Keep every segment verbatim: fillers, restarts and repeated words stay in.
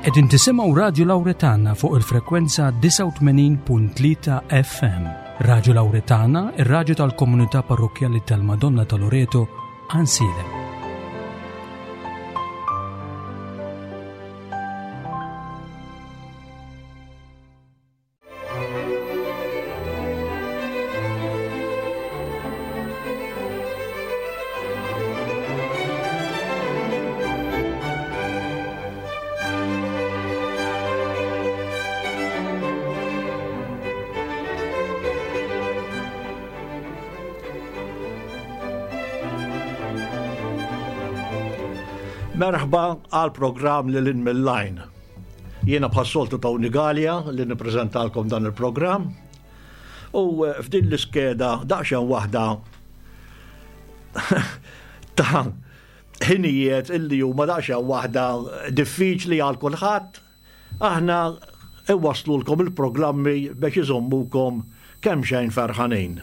Qegħdin tisimgħu Radio Lauretana fuq il-frekwenza disgħa u tmenin punt tlieta F M. Radio Lauretana, ir-raġu tal-komunità parrokkjali tal-Madonna ta' Loreto, Għajnsielem. Merħba għal programm Lil Hinn mill-Għajn. Jiena bħas-soltu Tony Galea li nippreżentalkom dan il-programm. U eh, f'din l-iskeda daqsxejn waħda ta' ħinijiet illi huma daqsxejn waħda diffiċli għal kulħadd, aħna iwaslulkom il-programmi biex iżommukom kemm xejn ferħanin.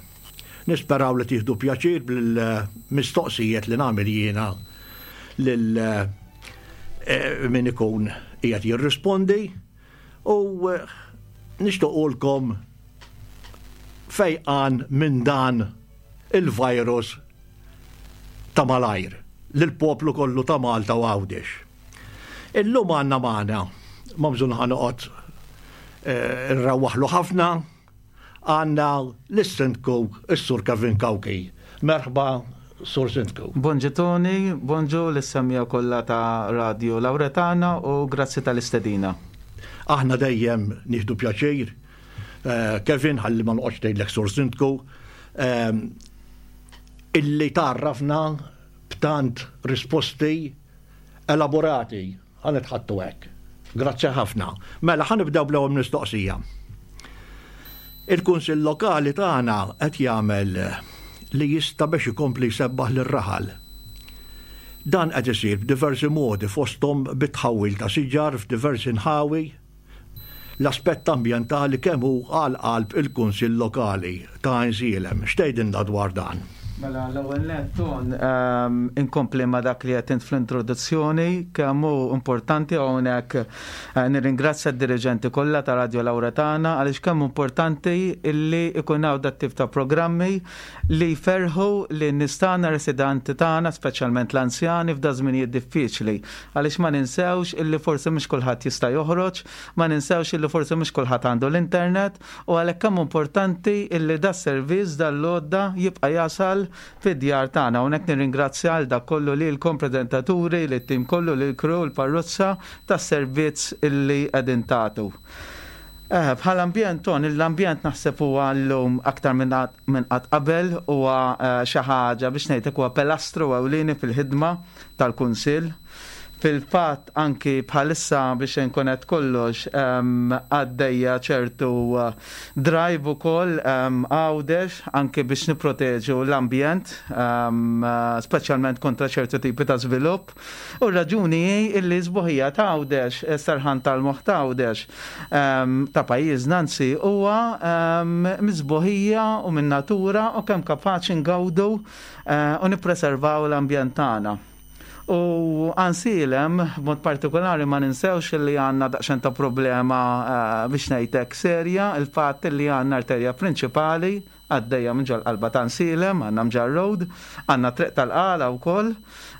Nisperaw li tieħdu pjaċir bil-mistoqsijiet li nagħmel jiena lil eh, min ikun qiegħed jirrispondi u eh, nixtiequlkom fejqan minn dan il-virus ta' malajr lill-poplu kollu ta' Malta u Għawdex. Illum għandna magħna, ma bżonn ħa noqgħod eh, nrawaħlu ħafna, għandna l-Sindku, is-Sur Kevin Cauchi. Merħba, Sur Sindku. Bonġu Tony, bonġu lis-semmiegħa kollha ta' Radio Lauretana u grazzi tal-istedina. Aħna dejjem nieħdu pjaċir. Eh, Kevin, ħalli ma noqgħodx tgħidlek Sur Sindku, eh, illi tarrafna b'tant risposti elaborati, ħa nitħaddtu hekk. Grazzi ħafna. Mela ħa nibdew bl-ewwel mistoqsija. Il-Kunsill Lokali tagħna qed jagħmel li jista' biex ikompli jsebbaħ lir-raħal. Dan qed isir b'diversi modi, fosthom bit-tħawwil ta' siġar f'diversi nħawi. L-aspett ambjentali kemm hu għal qalb il-Kunsill Lokali ta' Għajnsielem? X'tgħidilna dwar dan? Mela, l-ewwel nett, Ton, ehm, inkompli ma dak li qed fl-introduzzjoni, kemm hu importanti hawnhekk eh, nirringrazzja d-diriġenti kollha ta' Radio Lauretana għaliex kemm importanti illi ikun hawn dat tip ta' programmi li jferħu lin-nies tagħna, residenti tagħna, speċjalment l-anzjani f'da żminijiet diffiċli. Għaliex ma ninsewx illi forsi mhux kulħadd jista' joħroġ, ma ninsewx illi forsi mhux kulħadd għandu l-internet u għalhekk kemm importanti illi da servizz dal-lodda jibqa' jasal fid-djar tagħna. Hawnhekk nirringrazzja għal dak kollu lilkom preżentaturi, lit-tim kollu, lil crew, l-parrozza tas-servizz illi qegħdin tagħtu. Eh, bħal ambjent, Ton, l-ambjent naħseb huwa llum aktar minn qatt qabel huwa eh, xi ħaġa biex ngħidlek huwa pilastru ewlieni fil-ħidma tal-Kunsill. Fil-fatt anki bħalissa, biex nkunet kollox, għaddejja ċertu uh, drive ukoll Għawdex anki biex niproteġu l-ambjent, uh, speċjalment kontra ċertu tipi ta' żvilupp. U raġuni hi illi sbuħija ta' Għawdex, serħan tal-moħħ ta' Għawdex, ta' pajjiżna anzi, huwa mis-sbuħija u minn natura u kemm kapaċi ngawdu uh, u nippreservaw l-ambjent tagħna. U Għajnsielem, b'mod partikolari, ma ninsewx li għandna daqsxejn ta' problema eh, biex ngħidlek serja, il-fatt li għandna arterja prinċipali għaddejja minn ġol-qalba ta' Għajnsielem, għandna Mġarr Road, għandna Triq tal-Qala u koll,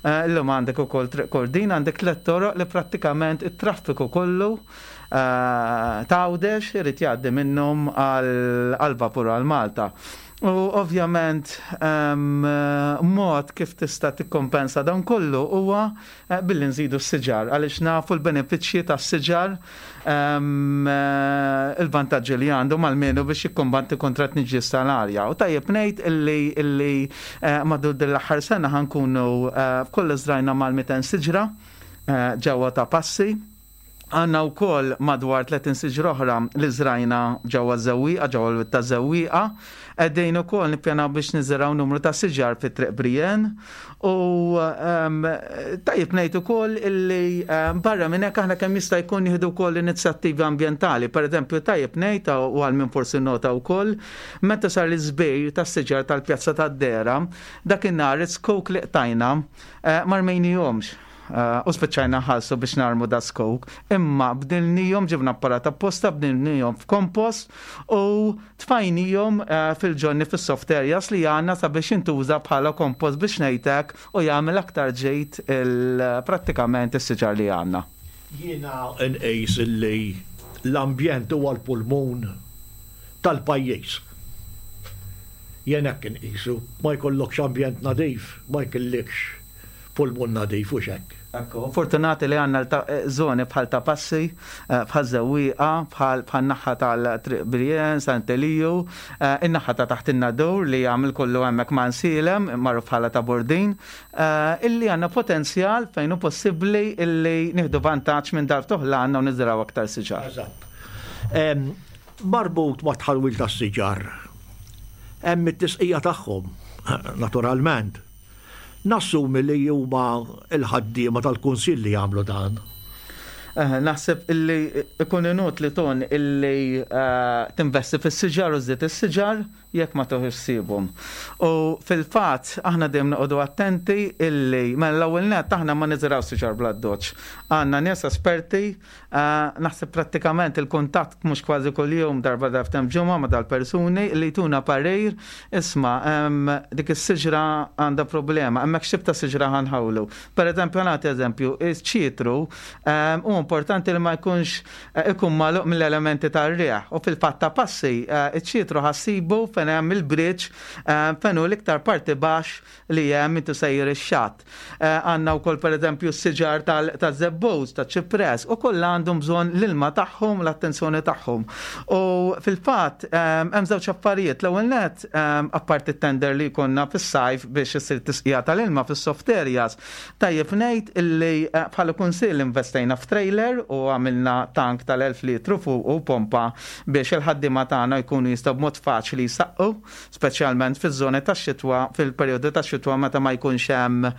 eh, illum għandek ukoll Triq Kordin, għandek tliet toroq li prattikament it-traffiku kollu eh, ta' Għawdex irid jgħaddi minnhom għal-vapur għal Malta. U ovvjament mod kif tista' tikkompensa dan kollu huwa eh, billi nżidu s-siġar, għaliex nafu l-benefiċċji tas-siġar, eh, il-vantaġġi li għandu mal-menu biex jikkombatti kontra t-tniġġis tal-arja. U tajjeb ngħid illi illi eh, madwar din l-aħħar sena ħa nkunu f'kollox żrajna mal-mitejn siġra ġewwa Ta' Passi. Għandna wkoll madwar tletin siġra oħra li żrajna ġewwa Żewwieqa, ġewwa l-wied taż-Żewwieqa. Qegħdin ukoll nippjanaw biex niżraw numru ta' siġar fi Triq Brienne. U tajjeb ngħid ukoll illi barra minn hekk aħna kemm jista' jkun nieħdu wkoll inizjattivi ambjentali. Per eżempju, tajjeb ngħid u għal min forsi nota wkoll, meta sar l-iżbir tas-siġar tal-Pjazza tad-Dera, dakinhar is-zkuk li qtajna eh, ma rmejnihomx. eh, u spiċċajna nħallsu biex narmu da zkuk, imma bdilnihom, ġibna apparat apposta, bdilnihom f'kompost u tfajnihom eh, fil-ġonni, fis-soft areas li għandna sabiex jintuża bħala kompost, biex ngħidlek, u jagħmel aktar ġejt il-prattikament is-siġar li għandna. Jiena nqis li l-ambjent huwa l-pulmun tal-pajjiż. Jien hekk inqisu, ma jkollokx ambjent nadif, ma jkollikx pulmun nadif u hekk. Ekku, fortunati li għandna zoni bħal Ta' Passi, eh, bħal Żewwieqa, bħal bħal naħa tal-Triq Birjen, Sant'Eliju, eh, in-naħa ta' taħt in-Nadur li jagħmel kollu hemmhekk ma' Nsilem, magħruf bħala ta' Bordin, eh, illi għandna potenzjal fejn hu possibbli illi nieħdu vantaġġ minn dal-ftuħ li għandna u niżraw aktar siġar. Eżatt. Em, Marbut ma' tħawwil tas-siġar. Hemm it-tisqija tagħhom, naturalment. Nassumi li huma il-ħaddiema tal-kunsill li jagħmlu dan. Eh, Naħseb illi ikun inutli ton illi eh, tinvesti fis-siġar u żżid is-siġar jekk ma tieħux ħsiebhom. U fil-fatt aħna dejjem noqogħdu attenti illi mela l-ewwel nett aħna ma niżraw siġar bl-addoċċ. Għandna nies esperti, eh, naħseb prattikament il-kuntatt mhux kważi kuljum, darba darbtejn ġimgħa ma' dal-persuni li jtuna parir: isma', em, dik is-siġra għandha problema, hemmhekk x'tip ta' siġra ħa nħawlu. Per eżempju, nagħti eżempju, iċ-ċitru em, u importanti li ma jkunx eh, ikun magħluq mill-elementi tar-riħ. U fil-fatt Ta' Passi eh, iċ-ċitru ħa ssibu fejn hemm il-bridge, eh, fejn hu l-iktar parti baxx li hemm intu sejjer ix-xatt. Eh, Għandna wkoll, pereżempju, s-siġar tal-żebbuġ, taċ-ċipress, u kollha għandhom bżonn l-ilma tagħhom, l-attenzjoni tagħhom. U fil-fatt em, hemm żewġ affarijiet. L-ewwel net, em, apparti tender li jkollna fis-sajf biex issir tisqija tal-ilma fis-soft areas, tajjeb ngħid illi eh, bħala kunsill investejna f'trailer u għamilna tank tal-elf litru fuq u pompa biex il-ħaddiema tagħna jkunu jistgħu b'mod faċli jsaqqu, speċjalment fiż-żoni tax-xitwa, fil-perjodu tax-xitwa meta ma jkunx hemm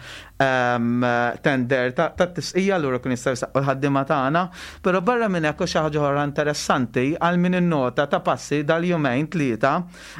em, tender ta' ta' tisqija, allura kun jistgħu jsaqqu l-ħaddiema tagħna. Però barra minn hekk, u xi ħaġa oħra interessanti għal min innota Ta' Passi dal-jumejn tlieta,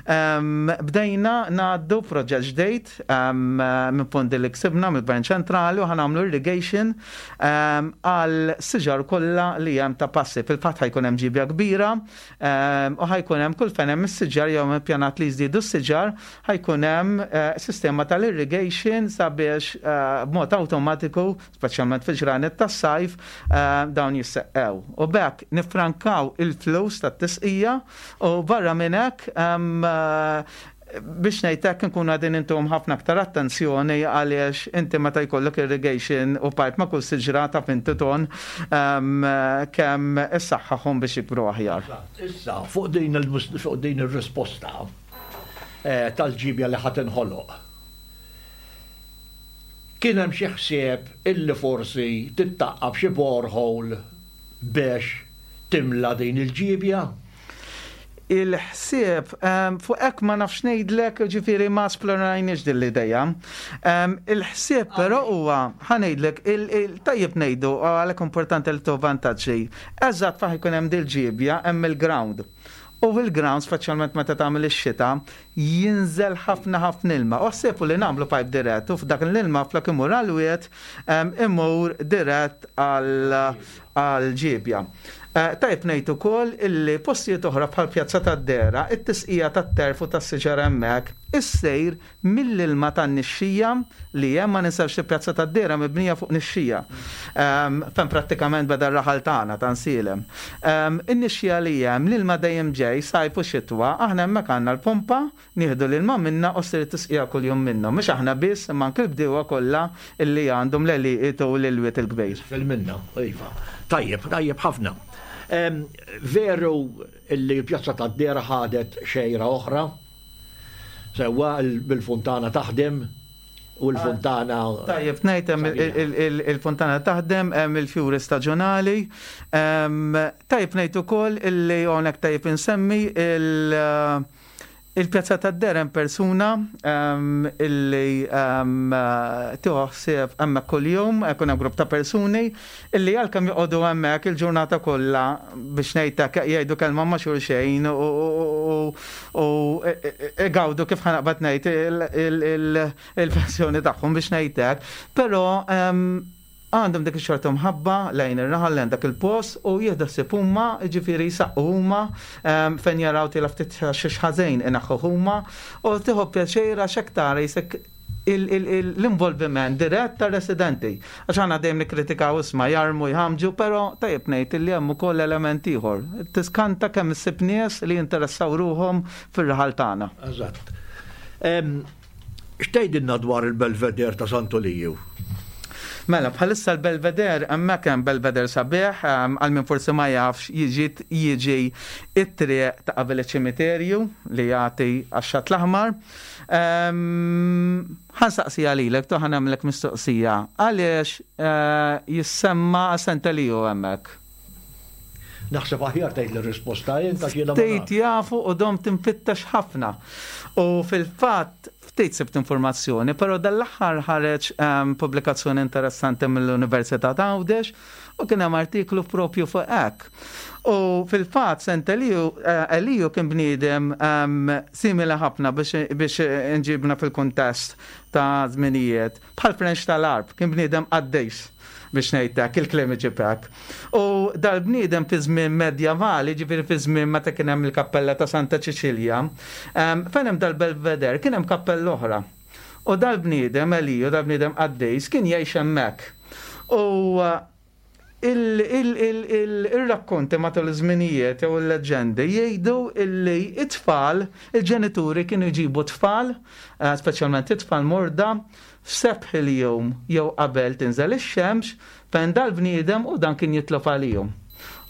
em, bdejna ngħaddu proġett ġdejt em, minn fondi li ksibna mill-Gvern Ċentrali u ħa nagħmlu irrigation em, għal siġar kollha li hemm Ta' Passi. Fil-fatt ħa jkun hemm ġibja kbira em, u ħa jkun hemm kull fejn hemm is-siġar jew ippjanat li jżidu s-siġar, ħa jkun hemm eh, sistema tal-irrigation sabiex eh, b'mod awtomatiku, speċjalment fil-ġranet tas-sajf, eh, dawn jisseqqew. U b'hekk nifrankaw il-flus tat-tisqija u barra minn hekk em, eh, biex ngħidlek nkunu qegħdin intuhom ħafna aktar attenzjoni, għaliex inti meta jkollok irrigation u pipe ma' kull siġra ta' finti ton um, kemm issaħħaħhom biex jikbru aħjar. Issa, fuq din il- fuq din ir-risposta eh, tal-ġibja li ħa tinħoloq. Kien hemm xi ħsieb illi forsi tittaqqab xi borehole biex timla din il-ġibja? Il-ħsieb, um, fuq hekk ma nafx ngħidlek, ġifieri ma esplorajniex din l-idea. Um, il-ħsieb però huwa, ħa ngħidlek, tajjeb ngħidu, għalhekk importanti li tu vantaġġi. Eżatt fejn ikun hemm dil-ġibja hemm il-ground. U fil-ground, speċjalment meta tagħmel ix-xita, jinżel ħafna ħafna ilma. U ħsieb li nagħmlu pipe dirett u f'dak l-ilma, flok imur għal-wied, imur dirett għal-ġibja. Eh, tajb ngħid ukoll illi postijiet oħra bħal Pjazza tad-Dera, it-tisqija tat-turf u tas-siġar hemmhekk issejr mill-ilma tan-nixxija li hemm. Ma ninsewx li Pjazza tad-Dera mibnija fuq nixxija. Fejn prattikament beda r-raħal tagħna ta' Nsilem. In-nixxija li hemm, l-ilma dejjem ġej sajf u xitwa, aħna hemmhekk għandna l-pompa, nieħdu l-ilma minna u ssir tisqija kuljum minnhom. Mhux aħna biss, imma anke l-bdiewa kollha illi għandhom l-għelieqi u l-wied il-kbir. Fil-minna, iva. Tajjeb, tajjeb ħafna. Veru illi l-Pjazza tad-Dera ħadet xejra oħra, sewwa, bil-funtana taħdem u l-funtana. Tajjeb, ngħid il-funtana taħdem, hemm il-fjuri staġjonali. Tajjeb ngħid ukoll illi hawnhekk tajjeb insemmi il- Il-Pjazza tad-Dera hemm persuna illi tieħu ħsieb hemmhekk kuljum, ikun hemm grupp ta' persuni illi għalkemm joqogħdu hemmhekk il-ġurnata kollha, biex ngħidlek, jgħidu kelma ma' xulxejn u igawdu, kif ħa naqbad ngħid, il-pensjoni tagħhom, biex ngħidlek. Però Għandhom dik ix-xorta mħabba lejn ir-raħal, lejn dak il-post, u jieħdu ħsieb huma, ġifieri jsaqqu huma, fejn jaraw tila ftit xi ħażin inaħħu huma, u tieħu pjaċir għax hekk tara jisek l-involviment dirett tar-residenti. Għax aħna dejjem nikkritikaw, isma', jarmu, jħamġu, però tajjeb ngħid li hemm ukoll element ieħor. Tiskanta kemm issib nies li jinteressaw ruħhom fir-raħal tagħna. Eżatt. X'tgħidilna dwar il-Belvedere ta' Santu Liju? Mela, bħalissa l-Belvedere, hemmhekk hemm Belvedere sabiħ, għal min forsi ma jafx, jiġi jiġi it-triq ta' qabel iċ-ċimiterju li jagħti għax-Xatt l-Aħmar. Ħa nsaqsi lilek, to ħa nagħmlek mistoqsija. Għaliex eh, jissemma Sant'Eliju hemmhekk? Naħseb aħjar tgħid l-risposta jien ta' jiena ma Ftit nafx. Jafu u domt infittex ħafna. U fil-fatt ftit sibt informazzjoni, però dal-aħħar ħareġ um, pubblikazzjoni interessanti mill-Università ta' Għawdex u kien hemm artiklu propju fuq hekk. U fil-fatt Saint Eliju, uh, Eliju kien bniedem um, simili ħafna biex, biex nġibna fil-kuntest ta' żminijiet. Bħal Frenċ tal-Għarb, kien bniedem qaddis, biex ngħidlek, il-kliem iġibek. U dal-bniedem fi żmien medjavali, ġifieri fi żmien meta kien hemm il-kappella ta' Santa Ċiċilja, um, fejn hemm dal-Belvedere kien hemm kappella oħra. U dal-bniedem Eliju, dal-bniedem qaddis, kien jgħix hemmhekk. U uh, il-rakkonti matul iż-żminijiet jew il-leġendi jgħidu illi it-tfal, il-ġenituri kienu jġibu tfal, eh, speċjalment it-tfal morda, f'sebħ il-jum jew qabel tinżel ix-xemx, fejn dal-bniedem, u dan kien jitlob għalihom.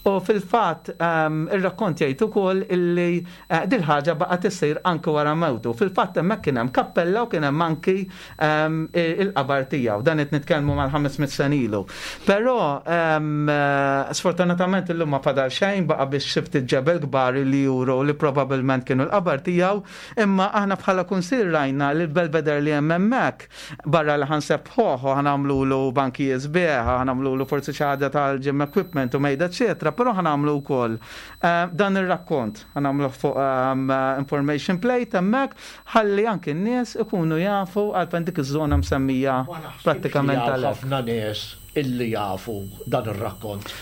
U fil-fatt um, ir-rakkont jgħid ukoll illi uh, dil-ħaġa baqgħet issir anke wara mewtu. Fil-fatt hemmhekk kien hemm kappella u kien hemm anki um, il-qabar tiegħu. Dan qed nitkellmu mal-ħames mitt sena ilu. Però um, sfortunatament illum ma fadal xejn, baqa' biex xi ftit ġebel kbar li juru li probabbilment kienu l-qabar tiegħu, imma aħna bħala kunsill rajna li l-Belvedere li hemm hemmhekk, barra li ħa nsebbħuh u ħa nagħmlulu banki sbieħ, ħa nagħmlulu forsi xi ħaġa tal-gym equipment u mejda eċetera, però ħa nagħmlu wkoll eh, dan ir-rakkont, ħa nagħmlu fuq um, information plate hemmhekk ħalli anki n-nies ikunu jafu għalfejn dik iż-żona msemmija Ma naħsibx prattikament li hawn għalhekk. ħafna nies illi jafu dan ir-rakkont.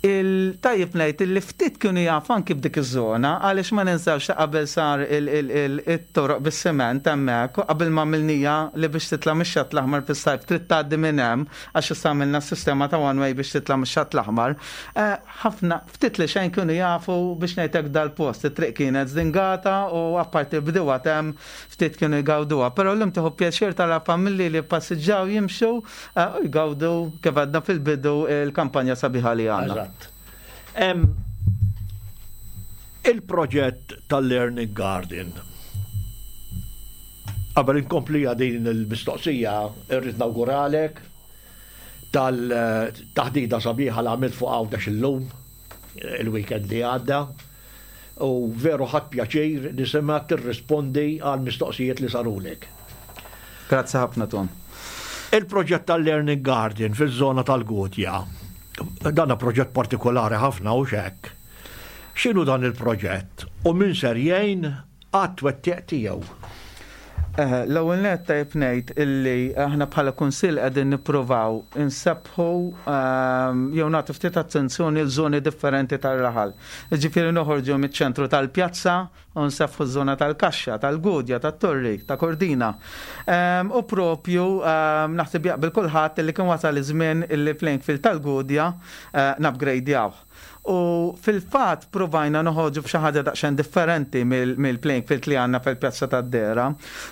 Il-tajjeb ngħid illi ftit kienu jafu anki b'dik iż-żona, għaliex ma ninsawx ta' qabel sar il-toroq bis-siment hemmhekk u qabel ma għamilnieha li biex titla' mix-Xatt l-Aħmar fis-sajf trid tgħaddi minn hemm, għax issa għamilna s-sistema ta' one way biex titla' mix-Xatt l-Aħmar. Eh, Ħafna ftit li xejn kienu jafu, biex ngħidlek, dal-post. It-triq kienet żdingata u apparti bdew hemm ftit kienu jgawduha. Però llum tieħu pjaċir tara familji li passiġġaw, jimxu eh, u jgawdu, kif għadna fil-bidu, il-kampanja sabiħa li għandna. Eżatt. Em, Il-proġett tal-Learning Garden. Qabel inkomplija din il-mistoqsija, irrid nawguralek tal-taħdida sabiħa li għamilt fuq Għawdex illum, il-weekend li għadda, u veru ħadt pjaċir nisma' tirrispondi għal mistoqsijiet li sarulek. Grazzi ħafna, Ton. Il-proġett tal-Learning Garden fil-żona tal-Gudja, dan proġett partikolari ħafna u xek. X'inhu dan il-proġett u min ser jgħin għat-twettiq tiegħu? Eh, L-ewwel nett tajjeb ngħid illi aħna bħala kunsill qegħdin nippruvaw insebbħu ehm, jew nagħtu ftit attenzjoni l żoni differenti tar-raħal. Ġifieri noħorġu miċ-ċentru tal-pjazza u nsebbħu ż-żona tal-Kaxxa, tal-Gudja, tat-Torri, ta' Kordina. Ehm, U propju ehm, naħseb jaqbel kulħadd illi kien wasal iż-żmien illi playing field tal-Gudja eh, nupgradejaw. U fil-fatt provajna noħorġu b'xi ħaġa daqsxejn differenti mill-playing field li għandna fil-Pjazza tad-Dera.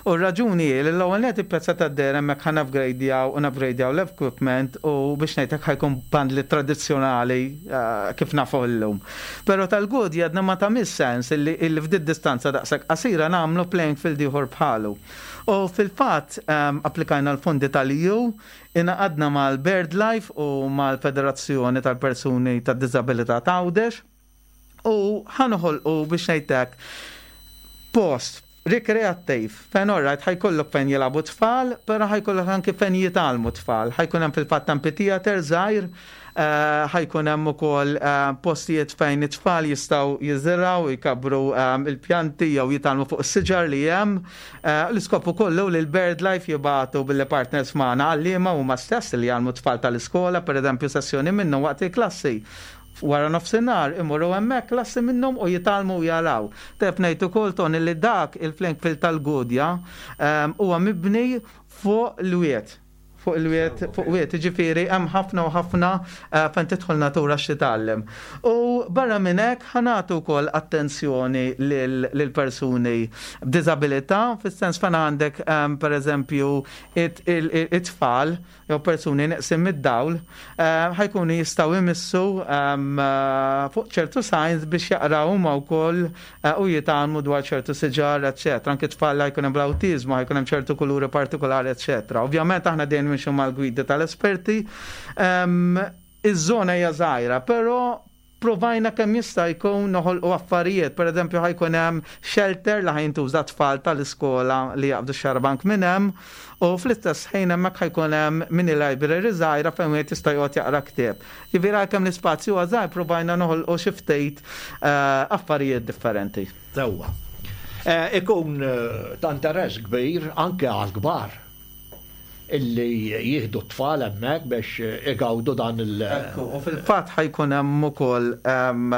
U r-raġuni hi li l-ewwel net il-Pjazza tad-Dera hemmhekk ħa nupgradejaw u nupgradejaw l-equipment u biex ngħidlek ħa jkun bandli tradizzjonali eh, kif nafu llum. Però tal-Gudja għadna ma tagħmilx sens illi illi f'did distanza daqshekk qasira nagħmlu playing field ieħor bħalu. U fil-fatt um, applikajna l-fondi tal-E U, ingħaqadna mal-BirdLife u mal-Federazzjoni tal-Persuni tad-Disabilità ta' Għawdex u ħa noħolqu, biex ngħidlek, post Rikreattiv, fejn orrajt ħa jkollok fejn jilagħbu tfal, però ħa jkollok anki fejn jitgħallmu tfal. Ħa jkun hemm fil-fatt amphitheater żgħir, eh, ħa jkun hemm ukoll eh, postijiet fejn it-tfal jistgħu jiżirgħu, jkabru eh, il-pjanti jew jitgħallmu fuq is-siġar li hemm. L-iskop ukoll li l-BirdLife jibagħtu bil-partners magħna għalliema huma stess li jgħallmu tfal tal-iskola, per eżempju sessjoni minnhom waqt il-klassi wara nofsinhar imorru hemmhekk klassi minnhom u jitgħallmu u jaraw. Tajjeb ngħid ukoll, Ton, li dak il-playing field tal-Gudja ehm, huwa mibni fuq l-wied fuq il-wied, fuq wied, ġifieri, hemm ħafna u ħafna eh, fejn tidħol natura x'titgħallem. U barra minn hekk ħa nagħtu wkoll attenzjoni lil persuni b'diżabilità, fis-sens fejn għandek ehm, pereżempju it-tfal jew persuni neqsin mid-dawl, eh, ħa jkunu jistgħu jmissu ehm, eh, fuq ċertu signs biex jaqraw huma wkoll eh, u jitgħallmu dwar ċertu siġar, eċetera. Anke tfal jkun hemm l-awtiżmu, ħa jkun hemm ċertu kuluri partikolari, eċetera. Ovvjament aħna dejjem nimxu mal-gwidi tal-esperti. Ehm, iż-żona hija żgħira, però provajna kemm jista' jkun noħolqu affarijiet. Per eżempju, ħa jkun hemm shelter li ħa jintuża tfal tal-iskola li jaqbdu xarabank minn hemm u fl-istess ħin hemmhekk ħa jkun hemm mini library żgħira fejn wieħed jista' joqgħod jaqra ktieb. Jiġifieri għalkemm l-ispazju huwa żgħir, provajna noħolqu xi ftit eh, affarijiet differenti. Sewwa. Eh, ikun eh, ta' interess kbir anke għal kbar illi jieħdu t-tfal hemmhekk biex igawdu dan il- Ekku, u fil-fatt ħa jkun hemm ukoll ehm,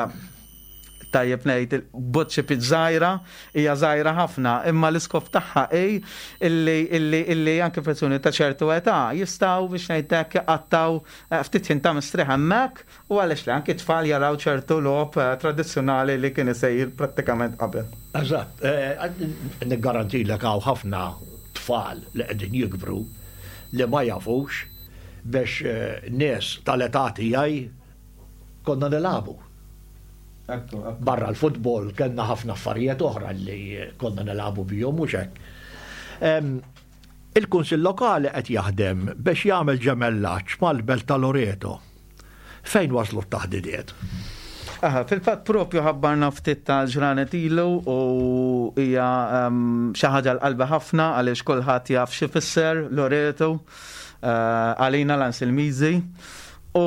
tajjeb ngħid il-bocce żgħira, hija żgħira ħafna, imma l-iskop tagħha hi illi illi illi anke persuni ta' ċertu età jistgħu, biex ngħidlek, jqattgħu eh, ftit ħin ta' mistrieħ hemmhekk u għaliex li anke tfal jaraw ċertu logħob eh, tradizzjonali li kien isejr prattikament qabel. Eżatt, eh, niggarantilek hawn ħafna tfal li qegħdin jikbru li ma jafux biex eh, nies tal-età tiegħi konna nilagħbu. Barra l-futbol kellna ħafna affarijiet oħra li konna nilagħbu bihom, mhux hekk. Em, Il-Kunsill Lokali qed jaħdem biex jagħmel ġemellaġġ mal-Belt ta' Loreto. Fejn waslu t-taħdidiet? Aha, fil-fatt propju ħabbarna ftit ta' ġranet ilu u hija um, xi ħaġa l-qalbi ħafna għaliex kulħadd jaf xi fisser Loreto uh, għalina l-Anselmiżi. U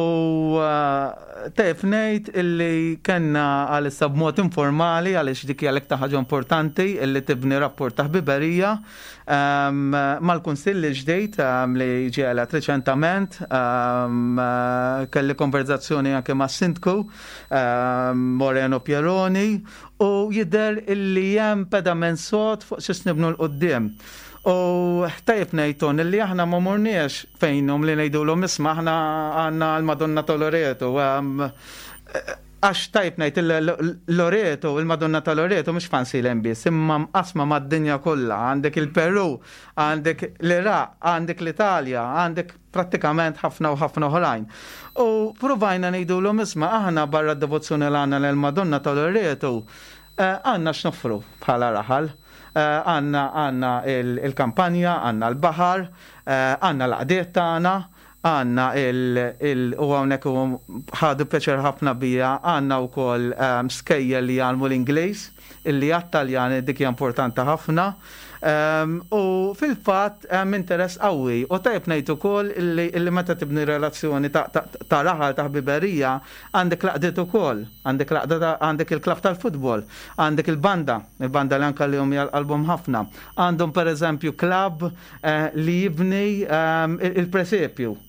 uh, tajjeb ngħid illi kellna għalissa b'mod informali, għaliex dik hija l-iktar ħaġa importanti illi tibni rapport ta' ħbiberija um, mal-Kunsill ġdejt um, li ġie elett reċentament, um, uh, kelli konverzazzjoni anke ma' Sindku um, Moreno Pieroni u jidher illi hemm pedament sod fuq xiex nibnu 'l quddiem. U tajjeb ngħid, Ton, illi aħna ma morniex fejnhom li ngħidulhom, "Isma', aħna għandna l-Madonna ta' Loreto." um, Għax tajjeb ngħid il- Loreto, il-Madonna ta' Loreto mhux f'Għajnsielem biss, imma mqasma mad-dinja kollha. Għandek il-Peru, għandek l-Iraq, għandek l-Italja, għandek prattikament ħafna u ħafna oħrajn. U provajna ngħidulhom, "Isma', aħna barra d-devozzjoni li għandna l-Madonna ta' Loreto, eh, għandna x'noffru bħala raħal. Eh, Għandna għandna il-kampanja, għandna l-baħar, eh, għandna l-għaqdiet tagħna, għandna il- u hawnhekk u ħadu pjaċir ħafna bija, għandna wkoll um, skejjel li jgħallmu l-Ingliż, illi għat-Taljani dik hija importanti ħafna. Um, u fil-fatt hemm interess qawwi u tajjeb ngħid ukoll illi, illi meta tibni relazzjoni ta', ta, ta' raħal ta' ħbiberija għandek l-għaqdiet ukoll, għandek l-għaqda ta- għandek il-klabb tal-futbol, għandek il-banda, il-banda li anka li hum qalbhom ħafna. Għandhom pereżempju klabb eh, li jibni um, il-presepju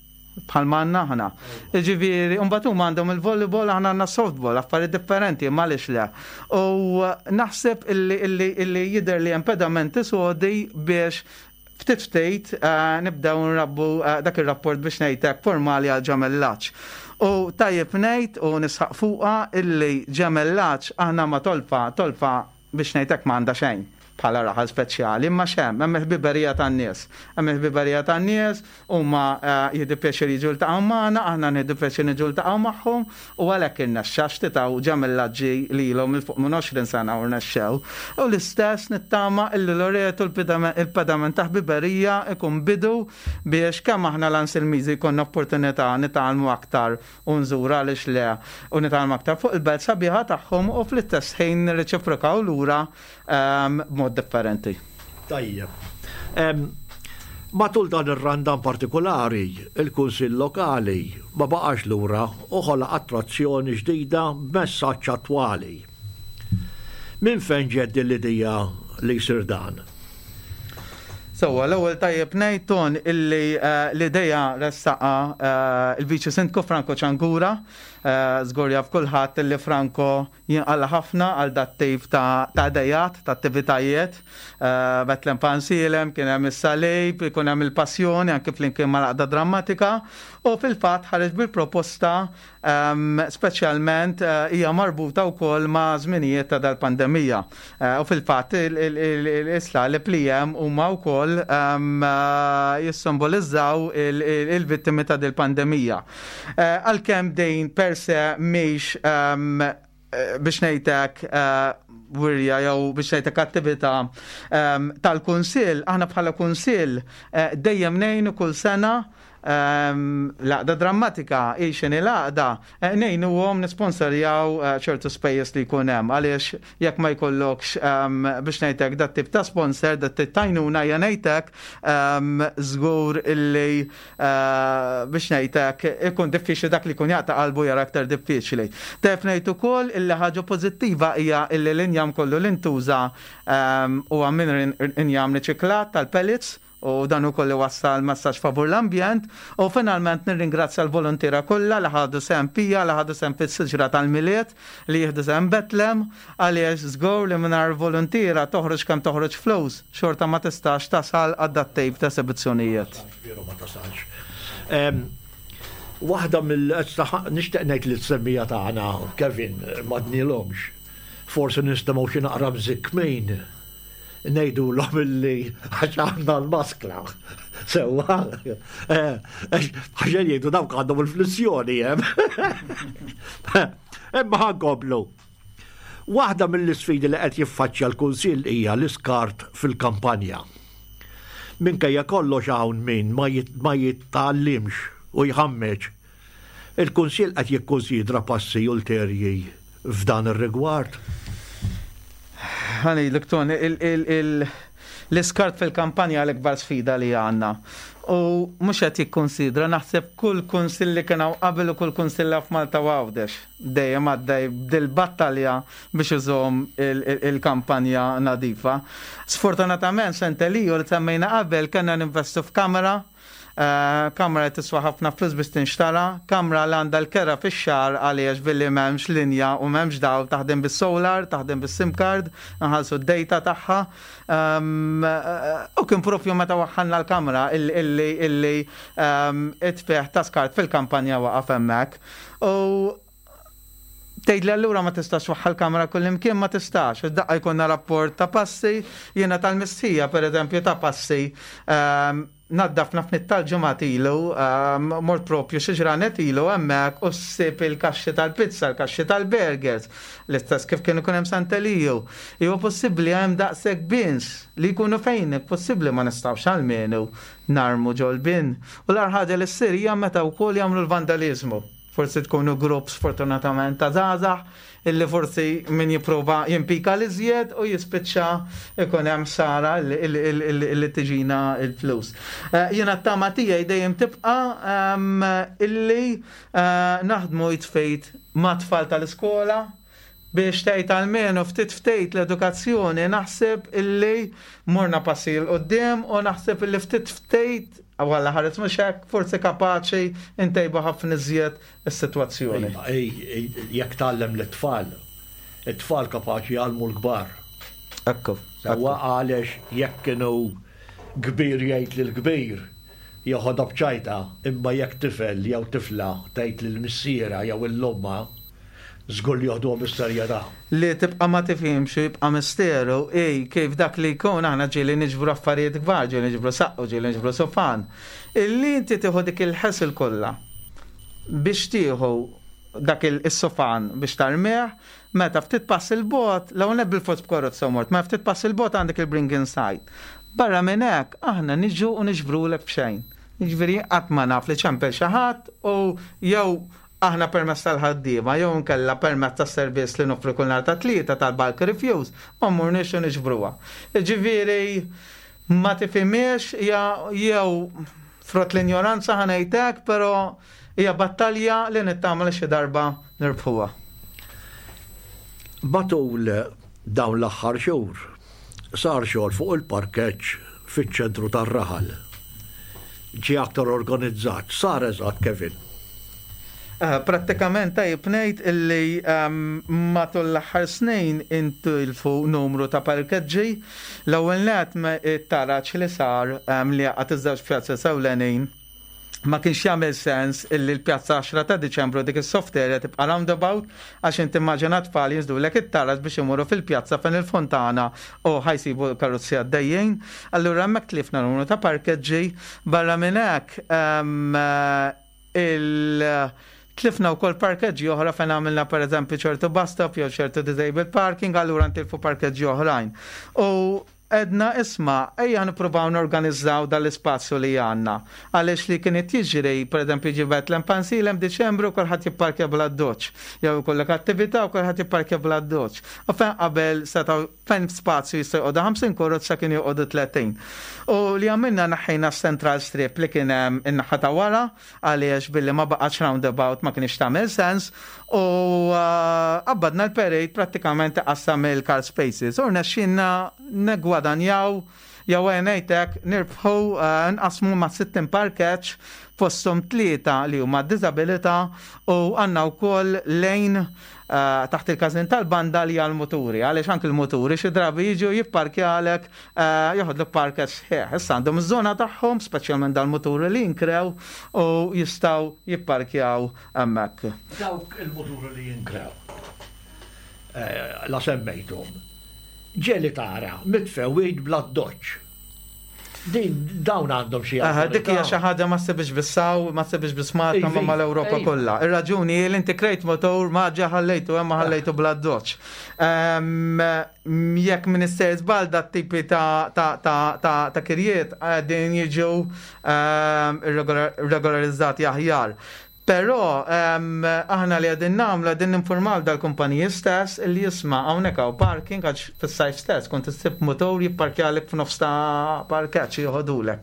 bħal għandna aħna. Ġifieri, mbagħad huma għandhom il-volleyball, aħna għandna softball, affarijiet differenti, ma għaliex le? U naħseb illi, illi, illi jidher li hemm pedamenti sodi biex ftit ftit eh, nibdew nrabbu eh, dak ir-rapport, biex ngħidlek, formali għal ġemellaġġ. U tajjeb ngħid u nisħaq fuqha illi ġemellaġġ aħna ma' Tolfa, Tolfa biex ngħidlek ma għandha xejn bħala raħal speċjali, imma x'hemm, hemm il-ħbiberija tan-nies. Hemm il-ħbiberija tan-nies, huma eh, jieħdu pjaċir jiġu ltaqgħu magħna, aħna nieħdu pjaċir niġu ltaqgħu magħhom u għalhekk irnexxa xtitaw ġemellaġġi lilhom 'il fuq minn għoxrin sena u rnexxew. U l-istess nittama illi Loreto il-pedament ta' ħbiberija ikun bidu biex kemm aħna l-Anselmiżi jkollna opportunità nitgħallmu aktar u nżuru, għaliex le, u nitgħallmu aktar fuq il-belt sabiħa tagħhom u fl-istess ħin nirreċiprokaw lura ehm, b'mod b'mod differenti. Tajjeb. Matul dan ir-Randan partikolari, il-Kunsill Lokali ma baqax lura u ħolaq attrazzjoni ġdida b'messaġġ attwali. Minn fejn ġiet din l-idea li jsir dan? Sewwa, l-ewwel tajjeb ngħid, Ton, illi eh, l-idea ressaqha eh, il-Viċi Sindku Franco Ciangura, eh, żgur jaf kulħadd illi Franco jinqala ħafna għal dat-tip ta' idejat, ta' attivitajiet. Betlem Pansilem, kien hemm is-salib, ikun hemm il-passjoni anke flimkien mal-għaqda drammatika u fil-fatt ħareġ bil-proposta, ehm, speċjalment hija marbuta wkoll ma' żminijiet ta' dal-pandemija. U fil-fatt is-slaleb li hemm huma wkoll ehm, jissimbolizzaw il-vittimi ta' dil-pandemija. Għalkemm din per se mhix ehm, biex ngħidlek wirja jew biex ngħidlek attività tal-kunsill, aħna bħala kunsill dejjem ngħinu kull sena l-għaqda drammatika, ixin il-għaqda, ngħinuhom nisponsorjaw ċertu spejjeż li jkun hemm, għaliex jekk ma jkollokx, biex ngħidlek, dat tip ta' sponsor, dat tip t'għajnuna, ja ngħidlek żgur illi, biex ngħidlek, ikun diffiċli, dak li jkun jaqta' qalbu jara aktar diffiċli. Taf ngħid ukoll illi ħaġa pożittiva hija illi l-injam kollu li ntuża huwa minn injam riċiklat tal-pellets u dan ukoll wassal messaġġ favur l-ambjent. U finalment nirringrazzja l-volontiera kollha li ħadu sehem fija, li ħadu sehem fis-siġra tal-Milied, li jieħdu sehem Betlem, għaliex żgur li mingħajr volontiera, toħroġ kemm toħroġ flus, xorta ma tistax tasal għal dat-tip ta' esibizzjonijiet. Veru, ma tasalx. Waħda mill nixtieq ngħid li t-semmija tagħna, Kevin, ma dnilhomx. Forsi nistemgħu xi naqra mżikkmin, ngħidulhom illi għax għandna l-maskla. Sewwa, għax jgħidu dawk għandhom il-flissjoni hemm. Imma ħa nkomplu. Waħda mill-isfidi li qed jiffaċċja l-Kunsill hija l-iskart fil-kampanja. Minkejja kollox hawn min ma jitgħallimx u jħammeġ. Il-Kunsill qed jikkonsidra passi ulterji f'dan ir-rigward? Ħa ngħidlek, Tony, l-iskart fil-kampanja l-ikbar sfida li għandna. U mhux qed jikkonsidra, naħseb kull kunsill li kien qabel u kull kunsill f'Malta u Għawdex dejjem għaddej dil-battalja biex iżomm il-kampanja nadifa. Sfortunatament, Sant'Eliju li semmejna qabel, kellna ninvestu f'kamera, eh, kamra li tiswa ħafna flus biex tinxtara, kamra li għandha l-kera fix-xahar għaliex billi m'hemmx linja u m'hemmx dawl taħdem bis-solar, taħdem bis-SIM card, nħallsu d-data tagħha. Um, u kien propju meta waħħalna l-kamra illi illi um, it-tfigħ ta' skart fil-kampanja waqaf hemmhekk. U tgħid li allura ma tistax twaħħal kamra kullimkien? Ma tistax. Daqqa jkollna rapport ta' passi, jiena tal-mistħija, per eżempju, ta' passi um, naddafna ftit tal-ġimgħat ilu, um, mort propju xi ġranet ilu hemmhekk u ssib il-kaxxi tal-pizza, il-kaxxi tal-burgers, l-istess kif kienu kun hemm Sant'Eliju. Huwa possibbli hemm daqshekk bins li jkunu fejn possibbli ma nistgħux almenu narmu ġol-bin? U l-agħar ħaġa li ssir hija meta wkoll jagħmlu l-vandalizmu. Forsi tkunu grupp sfortunatament ta' żgħażagħ illi forsi min jipprova jimpika l-iżjed u jispiċċa ikun hemm sara illi tiġina il-flus. Eh, jiena t-tama tiegħi dejjem tibqa' ehm, illi eh, naħdmu id f'id ma' tfal tal-iskola biex tgħid almenu ftit ftit l-edukazzjoni. Naħseb illi morna passi 'l quddiem u naħseb illi ftit ftit għalla ħares mhux hekk forsi kapaċi ntejbu ħafna iżjed is-sitwazzjoni. Jekk tgħallem l-tfal, it-tfal kapaċi jgħallmu l-kbar. Ekku. Sewwa, għaliex jekk kienu kbir jgħid lil kbir joħodha b'ċajta, imma jekk tifel jew tifla tgħid lil missiera jew l-omma, żgur li joħduha bis-serjetà. Li tibqa' ma tifhimx u jibqa' misteru ej kif dak li jkun, aħna ġieli niġbru affarijiet kbar, ġieli niġbru saqqu, ġieli niġbru sofan. Illi inti tieħu dik il-ħasil kollha biex tieħu dak il-sofan biex tarmih, meta ftit pass il-bogħod, l bil-fors b'karozza mort, ma ftit pass il-bogħod għandek il-bring inside. Barra minn hekk aħna niġu u niġbrulek b'xejn. Jiġifieri qatt ma naf li ċempel xi ħadd u jew Aħna permezz tal-ħaddiema jew nkella permezz tas-servizz li noffru kull nhar ta' Tlieta tal-bulk refuse ma mmorniex u niġbruha. Ġifieri ma tifhimiex, jew frott l-injoranza ħa ngħidlek, però hija battalja li nittama li xi darba nirbħuha. Matul dawn l-aħħar xhur sar xogħol fuq il-parkeġġ fiċ-ċentru tar-raħal. Ġie aktar organizzat, sar eżatt, Kevin? Eh, prattikament tajjeb ngħid illi ehm, matul l-aħħar snin intilfu numru ta' parkeġġi. L-ewwel net, it-taraġ li sar ehm, li għaqqad iż-żewġ pjazza ewlenin ma kienx jagħmel sens illi l-pjazza għaxra ta' Diċembru, dik is-soft area, tibqa' roundabout, għax inti immaġina tfal jinżlulek it-taraġ biex imorru fil-pjazza fejn il-fontana u ħa jsibu karozzi għaddejjin. Allura hemmhekk tlifna numru ta' parkeġġi. Barra minn hekk ehm, il- tlifna wkoll parkeġġi oħra fejn għamilna, per eżempju, ċertu bus stop jew ċertu disabled parking, allura ntilfu parkeġġi oħrajn. U għedna, "Isma', ejja nippruvaw norganizzaw dal-ispazju li għandna." Għaliex li kienet jiġri, per eżempju, ġi Betlem Pansilem Diċembru, kulħadd jipparkja bl-addoċċ. Jew ikollek attività u kulħadd jipparkja bl-addoċċ. U fejn qabel setgħu, fejn spazju jista' joqogħdu ħamsin karozza, kien joqogħdu tletin. U li għamilna, neħħejna central strip li kien hemm in-naħa ta' wara, għaliex billi ma baqax roundabout ma kienx tagħmel sens, u qabbadna l-parade prattikament qassam il-car spaces. U rnexxinna negwadanjaw jew ngħidlek nirbħu, nqasmu ma' sittin parkeġġ, fosthom tlieta li huma disabilità, u għandna wkoll lejn taħt il-każin tal-banda li għal-muturi, għaliex anke il-muturi xi drabi jiġu jipparkjalek, joħodlok parkeġġ sħiħ. Issa għandhom iż-żona tagħhom, speċjalment dal-muturi li jinkrew, u jistgħu jipparkjaw hemmhekk. Dawk il-muturi li jinkrew, la semmejthom, ġieli tara mitfugħin bl-addoċċ. Din dawn għandhom xi Dik hija xi ħaġa ma ssibx biss hawn, ma ssibx biss Malta, ma mal-Ewropa kollha. Ir-raġuni hi li inti krejt motor, ma ġa ħallejtu hemm, ma ħallejtu bl-addoċċ. Jekk m'iniex sejjer żball, dat-tipi ta' kirjiet qegħdin jiġu regolarizzati aħjar. Però aħna li qegħdin nagħmlu, qegħdin ninformaw dal-kumpaniji stess li, "Isma', hawnhekk hawn parking," għax fis-sajf stess kont issib motor jipparkjalek f'nofs ta' parkeġġ, joħodulek.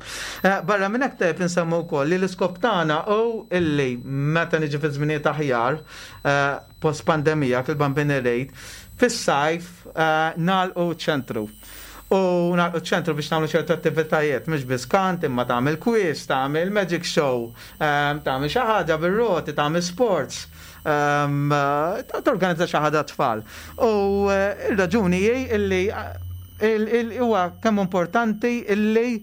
Barra minn hekk tajjeb insemmu wkoll li l-iskop tagħna hu illi meta niġi fi żminijiet aħjar post pandemija, fil-Bambin Rate, fis-sajf nagħlqu ċentru. U nagħlqu ċentru biex nagħmlu ċertu attivitajiet, mhux biss kant, imma tagħmel quiz, tagħmel magic show, tagħmel xi ħaġa bir-roti, tagħmel sports, torganizza xi ħaġa tfal. U ir-raġuni hi illi huwa kemm importanti illi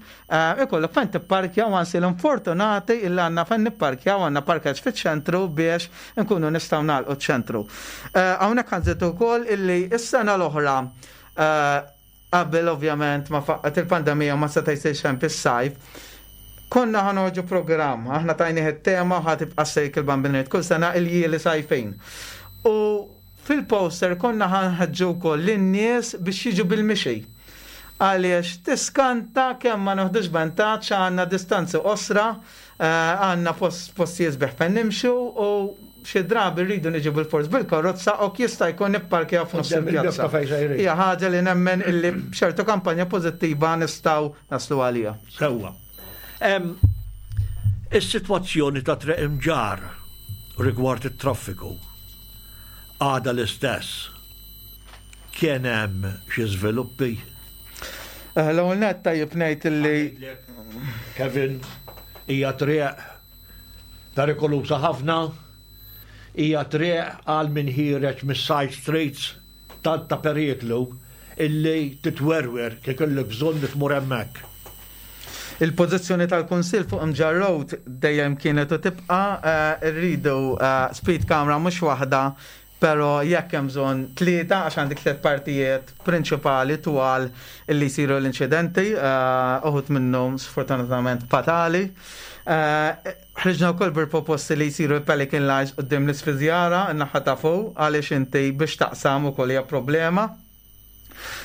ikollok fejn tipparkja, u ansi l-infortunati illi għandna fejn nipparkja u għandna parkeġġ fiċ-ċentru biex nkunu nistgħu nagħlqu ċ-ċentru. Hawnhekk ħa nżid ukoll illi s-sena l-oħra, qabel ovvjament ma faqqat il-pandemija, ma seta' jsir xejn fis-sajf, konna ħa noħorġu programm, aħna tajnieh it-tema, ħa tibqa' sejk il-Bambiniet kull sena, il-ljieli sajfin. U fil-poster konna ħa nħeġġu wkoll lin-nies biex jiġu bil-mixi. Għaliex tiskanta kemm ma noħdux vantaġġ, għandna distanzi qosra, għandna postijiet sbieħ fejn nimxu, u xi drabi rridu niġu bil-fors bil-karozza u jista' jkun nipparkjaw f'nofs il-pjazza. Hija ħaġa li nemmen illi b'ċertu kampanja pożittiva nistgħu naslu għalija. Sewwa. Is-sitwazzjoni ta' Triq Imġarr rigward it-traffiku għada l-istess? Kien hemm xi żviluppi? L-ewwel nett tajjeb ngħid illi Kevin, hija triq perikolusa ħafna, hija triq għal min ħiereġ mis-side streets, tant ta' periklu illi titwerwer kif kellek bżonn tmur hemmhekk. Il-pożizzjoni tal-Kunsill fuq Mġarr Road dejjem kienet u tibqa', rridu speed camera, mhux waħda, però jekk hemm bżonn tlieta, għax għandek tliet partijiet prinċipali twal illi jsiru l-inċidenti, uħud minnhom sfortunatament fatali. Ħriġna wkoll bil-proposti li jsiru l-Pelican Lines quddiem l-ispiżjara, n-naħa ta' fuq, għaliex inti biex taqsam ukoll hija problema.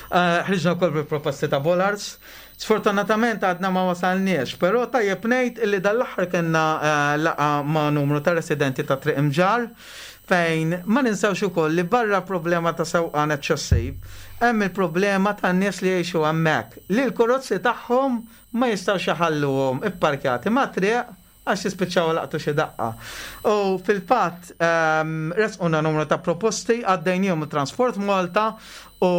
Eh, ħriġna wkoll bil-proposti ta' bollards. Sfortunatament għadna ma wasalniex, però tajjeb ngħid illi dal-aħħar kellna eh, laqgħa ma' numru ta' residenti ta' Triq Imġarr fejn ma ninsawx ukoll li barra problema ta' sewqan eċċessiv, hemm il-problema ta' nies li jgħixu hemmhekk li l-karozzi tagħhom ma jistgħux jaħalluhom ipparkjati ma' triq għax jispiċċaw laqtu xi daqqa. U fil-fatt ehm, resquna numru ta' proposti għaddejnihom Transport Malta u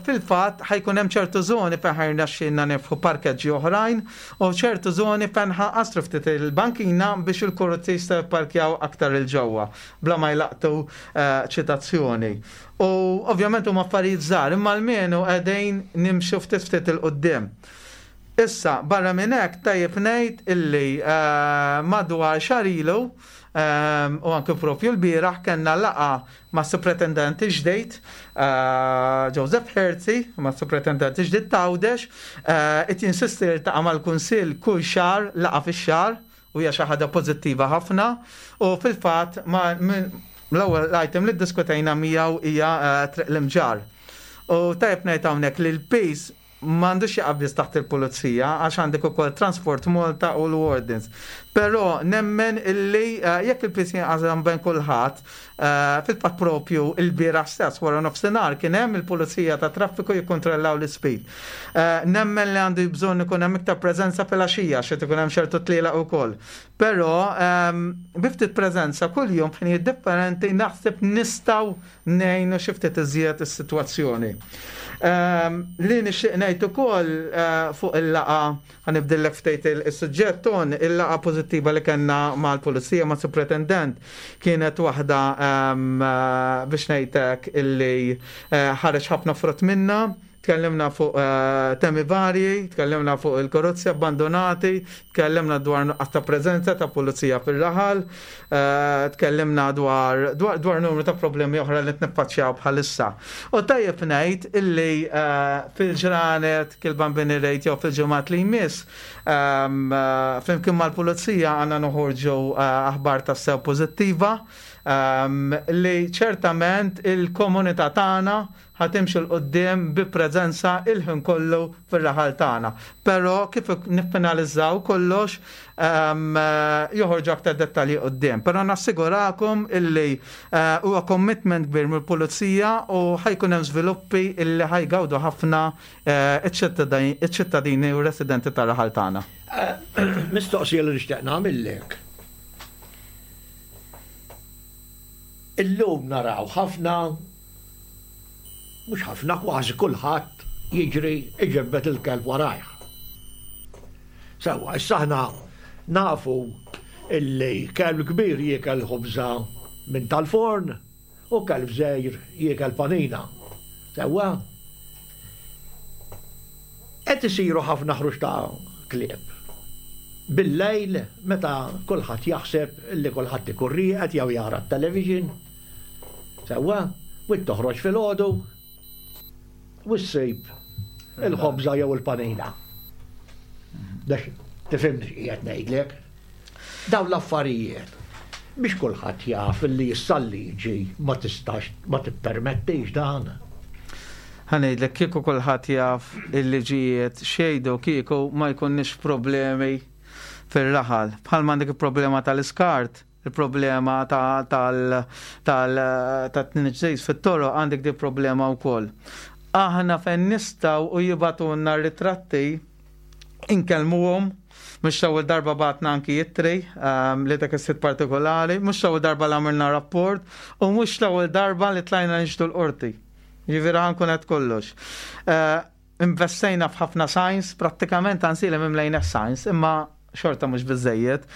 fil-fatt ħa jkun hemm ċertu żoni fejn ħa jirnexxilna niftħu parkeġġi oħrajn u ċertu żoni fejn ħa nqassru ftit il-bankina biex il-karozzi jistgħu jipparkjaw aktar 'il ġewwa bla ma jlaqtu eh, ċitazzjoni. U ovvjament huma affarijiet żgħar, imma almenu qegħdin nimxu ftit ftit 'il quddiem. Issa, barra minn hekk tajjeb ngħid illi eh, madwar xahar ilu eh, u anke propju l-bieraħ kellna laqgħa ma' superintendent ġdid eh, Joseph Herzi, ma' superintendent ġdid t'Għawdex, qed jinsisti jiltaqa' mal-Kunsill kull xahar, laqgħa fix-xahar, u hija xi ħaġa pożittiva ħafna u fil-fatt ma l-ewwel item li ddiskutejna miegħu hija Triq l-Imġarr. U tajjeb ngħid hawnhekk li l-piż m'għandux jaqa' biss taħt il-pulizija għax għandek ukoll Transport Malta u l-Wardens. Però nemmen illi eh, jekk il-piż jinqasam bejn kulħadd, eh, fil-fatt propju il-bieraħ stess wara nofsinhar kien hemm il-pulizija ta' traffiku jikkontrollaw l-speed. Eh, nemmen li għandu bżonn ikun hemm iktar preżenza fil-għaxija xi ikun hemm ċertu tlielaq ukoll. Però ehm, bi ftit preżenza kuljum f'ħinijiet differenti naħseb nistgħu ngħinu xi ftit iżjed is-sitwazzjoni. Ehm, li nixtieq ngħid ukoll eh, fuq il-laqgħa ħa nibdillek ftit il-suġġett ton il-laqgħa pożittiva li kellna mal-pulizija ma' superintendent kienet waħda ehm, eh, biex ngħidlek illi eh, ħareġ ħafna frott minna. Tkellimna fuq temi varji, tkellimna fuq il-karozzi abbandonati, tkellimna dwar nuqqas ta' preżenza ta' pulizija fil-raħal, tkellimna dwar, dwar, dwar numru ta' problemi oħra li niffaċċjaw bħalissa. U tajjeb ngħid illi fil-ġranet kil-bambini rejt jew fil-ġimgħat li jmiss flimkien mal-pulizija għandna noħorġu aħbar tassew pożittiva li ċertament il-komunità tagħna ħa timxi 'l quddiem bi preżenza il-ħin kollu fir-raħal tagħna. Però kif niffinalizzaw kollox joħorġu aktar dettalji quddiem. Però nassigurakom illi huwa commitment kbir mill-pulizija u ħa jkun hemm żviluppi illi ħa jgawdu ħafna iċ-ċittadini u residenti tar-raħal tagħna. Mistoqsija li nixtieq nagħmillek. Illum naraw ħafna, mhux ħafna, kważi kulħadd jiġri iġebbet il-kelb warajh. Sewwa, issa aħna nafu illi kelb kbir jiekel ħobża minn tal-forn u kelb żgħir jiekel panina. Sewwa, qed isiru ħafna ħruġ ta' klieb. Bil-lejl meta kulħadd jaħseb illi kulħadd ikun rieqed jew jara t-television. Sewwa, u toħroġ filgħodu u ssib il-ħobża jew il-panina. Dax tifhimni x'qiegħed ngħidlek. Dawn l-affarijiet biex kulħadd jaf li issa l-liġi ma tistax ma tippermettix dan. Ħa ngħidlek kieku kulħadd jaf il-liġijiet xejdu kieku ma jkunniex problemi fir-raħal. Bħal m'għandek il-problema tal-iskart, il-problema tal-tniġġis fit-toroq għandek di problema wkoll. Aħna fejn nistgħu u jibagħtulna ritratti inkellmuhom, mhux l-ewwel darba bgħatna anki ittri li dak is-sit partikolari, mhux l-ewwel darba li għamilna rapport u mhux l-ewwel darba li tlajna nixhdu l-qorti. Ġifieri ħa nkun qed kollox. Investejna f'ħafna signs, prattikament anzi li mimlejna signs, imma xorta mhux biżejjed.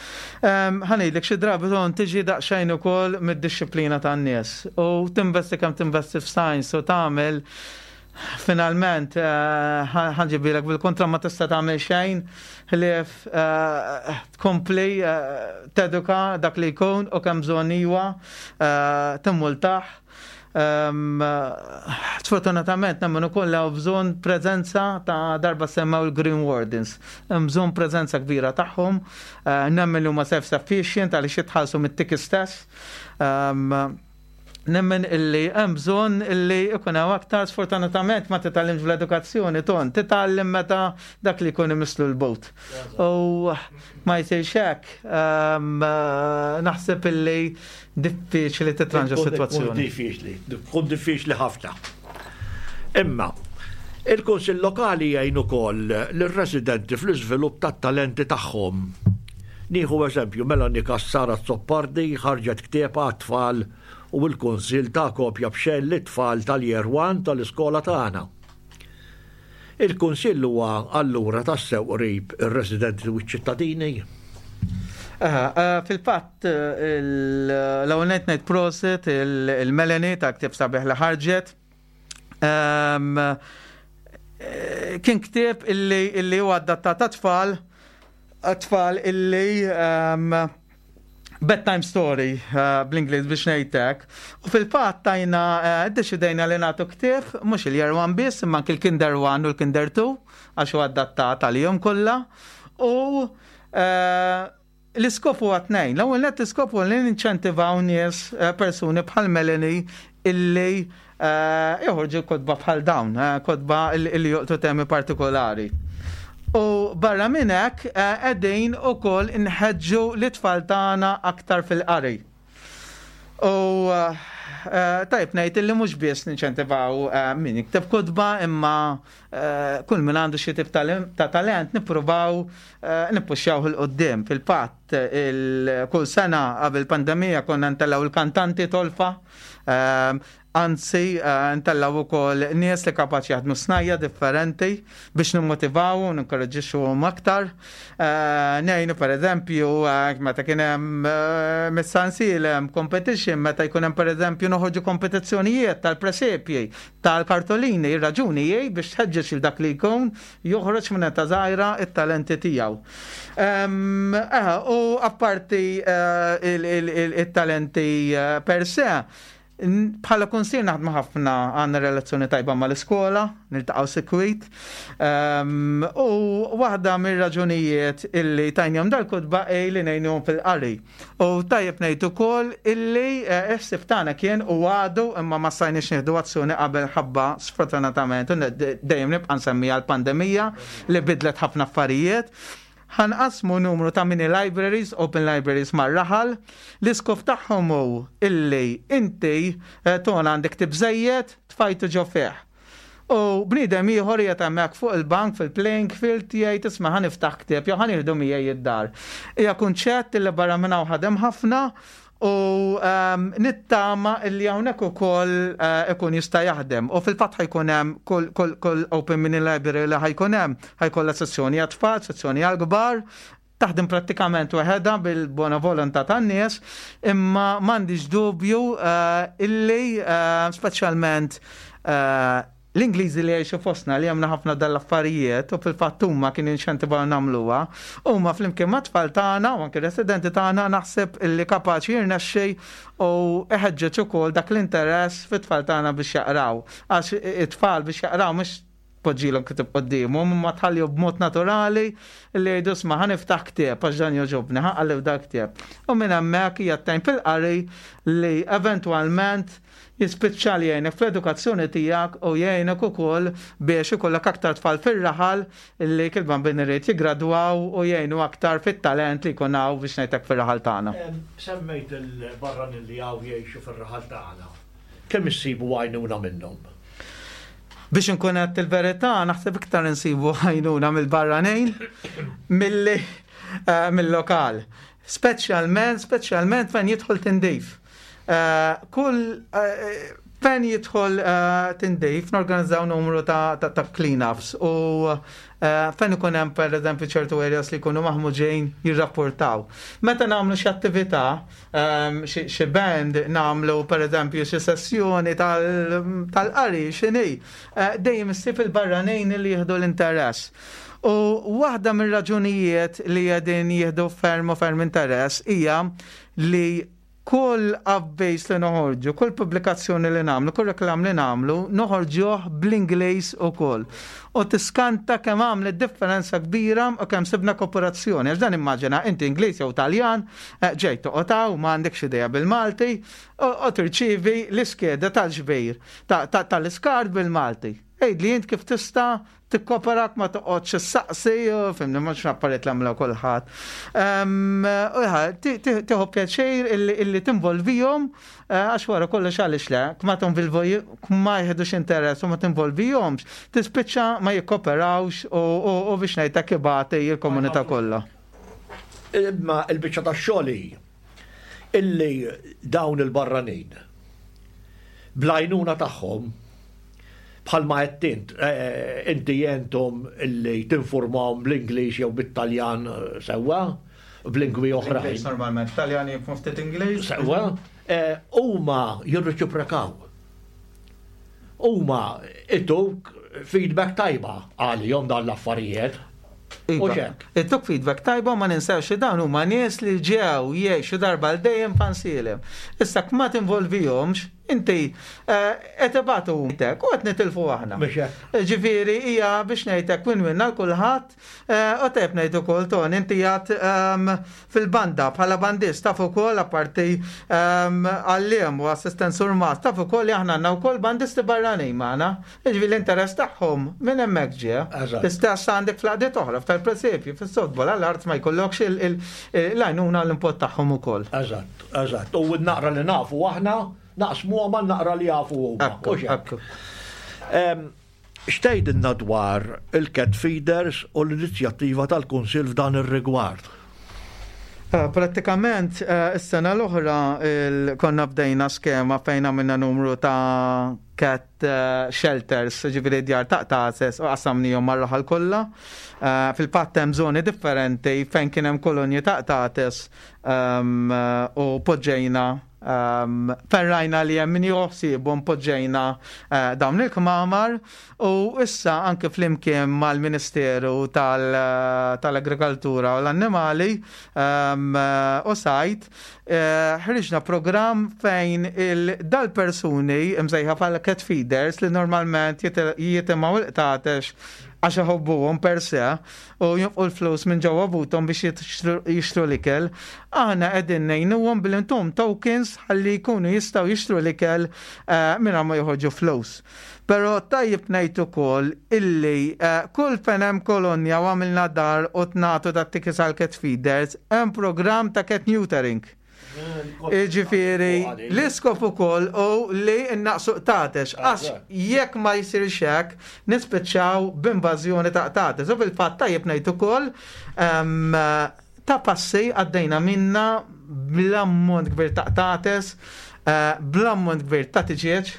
Ħa ngħidlek xi drabi ton tiġi daqsxejn ukoll mid-dixxiplina tan-nies u tinvesti kemm tinvesti f'signs u tagħmel finalment ħa nġibilek bil-kontra ma tista' tagħmel xejn ħlief tkompli teduka dak li jkun u kemm bżonn iwa timmultah. Sfortunatament nemmen ukoll hawn bżonn preżenza ta' darba semmew il-Green Wardens. Hemm bżonn preżenza kbira tagħhom, nemmen li huma self-sufficient għaliex jitħallsu mit-ticket stess. Nemmen illi hemm bżonn illi ikun hawn aktar. Sfortunatament ma titgħallimx fl-edukazzjoni, ton, titgħallem meta dak li jkun imislu l-bot. U ma jsirx hekk, ehm, naħseb illi diffiċli titranġa s-sitwazzjoni. Diffiċli, tkun diffiċli ħafna. Imma, il-Kunsill Lokali jgħin ukoll lir-residenti fl-iżvilupp tat-talenti tagħhom. Nieħu eżempju, Melanie Cassar Azzopardi ħarġet ktieb għat-tfal u l-Kunsill ta kopja b'xejn lit-tfal tal-Year One tal-iskola tagħna. Il-Kunsill huwa allura tassew qrib ir-residenti u ċ-ċittadini. Fil-fatt, l-ewwel ngħid prosit il-Melanie ta' ktieb sabiħ li ħarġet. Kien ktieb illi huwa adattat tfal tfal illi bedtime story uh, bl-Ingliż biex ngħidlek. U fil-fatt tajna uh, deċidejna li nagħtu ktieb mhux il-year one biss, imma anke l-Kinder one u l-Kinder two, għax huwa adattat għalihom kollha. U uh, l-iskop huwa tnejn. L-ewwel nett, l-iskop huwa li ninċentivaw nies, persuni bħal Melanie illi joħorġu kotba bħal dawn, kotba illi jolqtu temi partikolari. U barra minn hekk, qegħdin ukoll inħeġġu l-tfal tagħna aktar fil-qari. U tajb ngħid illi mhux biss ninċentivaw min jikteb kotba, imma kull min għandu xi tip ta' talent nippruvaw nippuxxjaw 'il quddiem. Fil-fatt, kull sena qabel pandemija konna ntellgħu il-kantanti tolfa. Anzi, ntellgħu ukoll nies li kapaċi jaħdmu snajja differenti biex nimmotivaw u ninkoraġġixxuhom aktar. Ngħinu, per eżempju, meta kien hemm mis-Sansilem competition, meta jkun hemm, per eżempju, noħorġu kompetizzjonijiet tal-presepji, tal-kartolini, ir-raġuni hi biex tħeġġeġ il dak li jkun joħroġ minn età żgħira it-talenti tiegħu. U apparti il-talenti per se, bħala kunsill naħdmu ħafna, għandna relazzjoni tajba mal-iskola, niltaqgħu sikwit. U waħda mir-raġunijiet illi tajnihom dal-kotba hi li ngħinuhom fil-qari. U tajjeb ngħid ukoll illi s-ħsieb tagħna kien u għadu, imma ma stajniex nieħdu azzjoni qabel ħabba, sfortunatament, dejjem nibqa' nsemmiha, l-pandemija li bidlet ħafna affarijiet. Ħa nqassmu numru ta' mini libraries, open libraries mar-raħal. L-iskop tagħhom hu illi inti ton għandek ktieb żejjed, tfajtu ġo fih. U bniedem ieħor qiegħed hemmhekk fuq il-bank fil-playing field jgħid, "Isma', ħa niftaħ ktieb jew ħa nieħdu miegħi id-dar." Hija kunċett illi barra minn hawn ħadem ħafna u nittama illi hawnhekk ukoll ikun jista' jaħdem. U fil-fatt ħa jkun hemm kull kull open mini library li ħa jkun hemm, ħa jkollha sezzjoni għat-tfal, sezzjoni għall-kbar, taħdem prattikament waħedha bil-bona volontà tan-nies, imma m'għandix dubju illi speċjalment l-Ingliżi li jgħixu fostna li għamna ħafna dal-affarijiet u fil-fatt huma kien inċentivaw nagħmluha, huma flimkien mat-tfal tagħna u anke residenti tagħna naħseb illi kapaċi jirnexxi u iħeġġeġ ukoll dak l-interess fit-tfal tagħna biex jaqraw. Għax it-tfal biex jaqraw mhux poġġilhom ktieb quddiemhom, imma tħalli b'mod naturali li jgħidu, "Isma', ħa niftaħ ktieb għax dan jogħġobni, ħa nqalleb dak ktieb." U minn hemmhekk hija tajn fil-qari li eventwalment jispiċċa li jgħinek fl-edukazzjoni tiegħek u jgħinek ukoll biex ikollok aktar tfal fir-raħal li kil-bambin irid jiggradwaw u jgħinu aktar fit-talent li jkun hawn, biex ngħidlek, fir-raħal tagħna. Semmejt il-barranin li hawn jgħixu fir-raħal tagħna. Kemm issibu għajnuna minnhom? Biex nkun qed il-verità, naħseb iktar insibu għajnuna mill-barranin milli mill-lokal. Speċjalment, speċjalment fejn jidħol tindif. Kull fejn jidħol tindif norganizzaw numru ta', ta, ta clean-ups u fejn ikun hemm, pereżempju, ċertu areas li jkunu maħmuġin, jirrapportaw. Meta nagħmlu xi attività, xi band, nagħmlu, pereżempju, xi sessjoni tal-qari, x'inhi, dejjem issib il-barranin li jieħdu l-interess. U waħda mir-raġunijiet li qegħdin jieħdu ferm u ferm interess hija li Kull avviż li noħorġu, kull pubblikazzjoni li nagħmlu, kull reklam li nagħmlu, noħorġuh bl-Ingliż ukoll. U tiskanta kemm għamlet differenza kbira u kemm sibna kooperazzjoni. Għax dan immaġina inti Ingliż jew Taljan, eh, ġej toqgħod hawn, ma għandekx idea bil-Malti, u tirċievi l-iskeda tal-ġbir tal-iskart bil-Malti. Għidli int kif tista' tikkoperak, ma toqgħodx issaqsi, fhimni, mhux affarijiet li għamlu kulħadd. Tieħu pjaċir illi tinvolvihom, eh, għax wara kollox għaliex le, ma ma jieħdux interess u ma tinvolvihomx, tispiċċa ma jikkoperawx u biex ngħidlek ibati il-komunità kollha. Imma il-biċċa tax-xogħol illi dawn il-barranin bl-għajnuna tagħhom, bħalma qed int, eh, inti jentom illi tinformawhom bl-Ingliż jew bit-Taljan, eh, sewwa, b'lingwi oħrajn. Normalment Taljan jifhmu ftit Ingliż. Sewwa, eh, huma jirreċiprokaw. Huma ituk feedback tajba għalihom dan l-affarijiet. Iva, ituk feedback tajba, ma ninsewx li dawn huma nies li ġew jgħixu darba għal dejjem f'Għajnsielem. Issa ma tinvolvihomx, inti eh, qed ibatu u qed nitilfu aħna. Ġifieri hija biex ngħidlek win-win għal kulħadd, eh, u tajjeb ngħid ukoll, Ton, inti jgħat ehm, fil-banda bħala bandist, taf ukoll apparti ehm, għalliem u assistent surmast, taf ukoll li aħna għandna wkoll bandisti barranin magħna. Ġifieri l-interess tagħhom minn hemmhekk ġie. L-istess għandek fl-għaqdiet oħra, tal-presepju, fis-softball, għall-art ma jkollokx l-għajnuna l-input tagħhom ukoll. Eżatt, eżatt. U naqra li nafu aħna naqsmu ma naqra li jafu huma. X'tgħidilna dwar il-cat feeders u l-inizjattiva tal-Kunsill f'dan ir-rigward? Eh, prattikament eh, is-sena l-oħra konna bdejna skema fejn għamilna numru ta' cat eh, shelters, ġifieri djar ta' qtates, u qassamnihom mar-raħal kollha. Fil-fatt hemm żoni differenti fejn kien hemm kolonji ta' qtates ehm, u poġġejna um, ferrajna li hemm min joħsibhom, poġġejna uh, dawn il-kmamar u issa anke flimkien mal-Ministeru tal-Agrikoltura u l-Annimali um, u Sajd uh, ħriġna program fejn il-dal-persuni imsejħa bħala cat feeders li normalment jitimgħu il-qtates għax iħobbuhom per se u jonfqu l-flus minn ġewwa buthom biex jixtru l-ikel. Aħna qegħdin ngħinuhom billi ntuhom tokens ħalli jkunu jistgħu jixtru l-ikel eh, mingħajr ma joħorġu flus. Però tajjeb ngħid ukoll illi eh, kull fejn hemm kolonja u għamilna dar u nagħtu dat-tickets għal cat feeders, hemm programm ta' cat neutering. Ġifieri, l-iskop ukoll u li innaqsu qtates, għax jekk ma jsirx hekk, nispiċċaw b'invażjoni ta' qtates. U fil-fatt tajjeb ngħid ukoll ta' passi għaddejna minna bl-ammont kbir ta' qtates, eh, bl-ammont kbir ta' tiġieġ.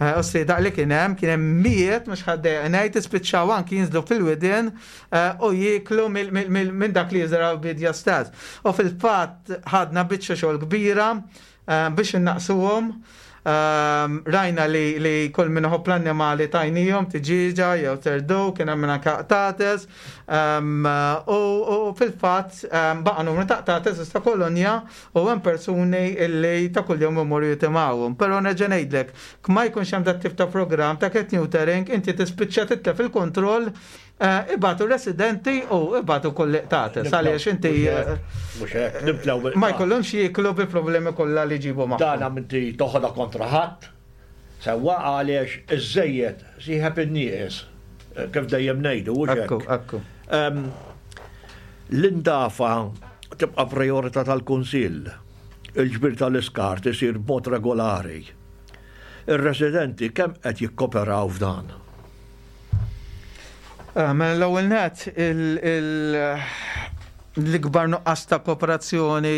Eh, u s-sida li kien hemm, kien hemm mijiet, mhux ħaddej ngħid, ispiċċaw anki jinżlu fil-widien eh, u jieklu minn dak li jiżraw bidja stess. U fil-fatt ħadna biċċa xogħol kbira eh, biex innaqsuhom. Rajna li, li kull minn iħobb l-annimali tajnihom tiġiġa jew terdu, kien hemm minn anke qtates. U fil-fatt baqa' numru ta' qtates issa kolonja u hemm persuni illi ta' kuljum imorru jitimgħuhom. Però nerġa' ngħidlek, ma jkunx hemm dat tip ta' programm ta' cat neutering, inti tispiċċa titlef il-kontroll, eh, ibatu residenti u ibatu kull qtates. Għaliex inti eh, Mhux hekk, nimtlew ma jkollhomx jieklu bi problemi kollha li ġibu magħhom. Dan inti toħodha kontra ħadd. Sewwa, għaliex iż-żejjed sieħeb in-nieqes, kif dejjem ngħidu, hux hekk? Ekku, ekku. Em, L-indafa tibqa' priorità tal-Kunsill. Il-ġbir tal-iskart isir b'mod regolari. Ir-residenti kemm qed jikkoperaw f'dan? Eh, Mela l-ewwel net l-ikbar nuqqas ta' kooperazzjoni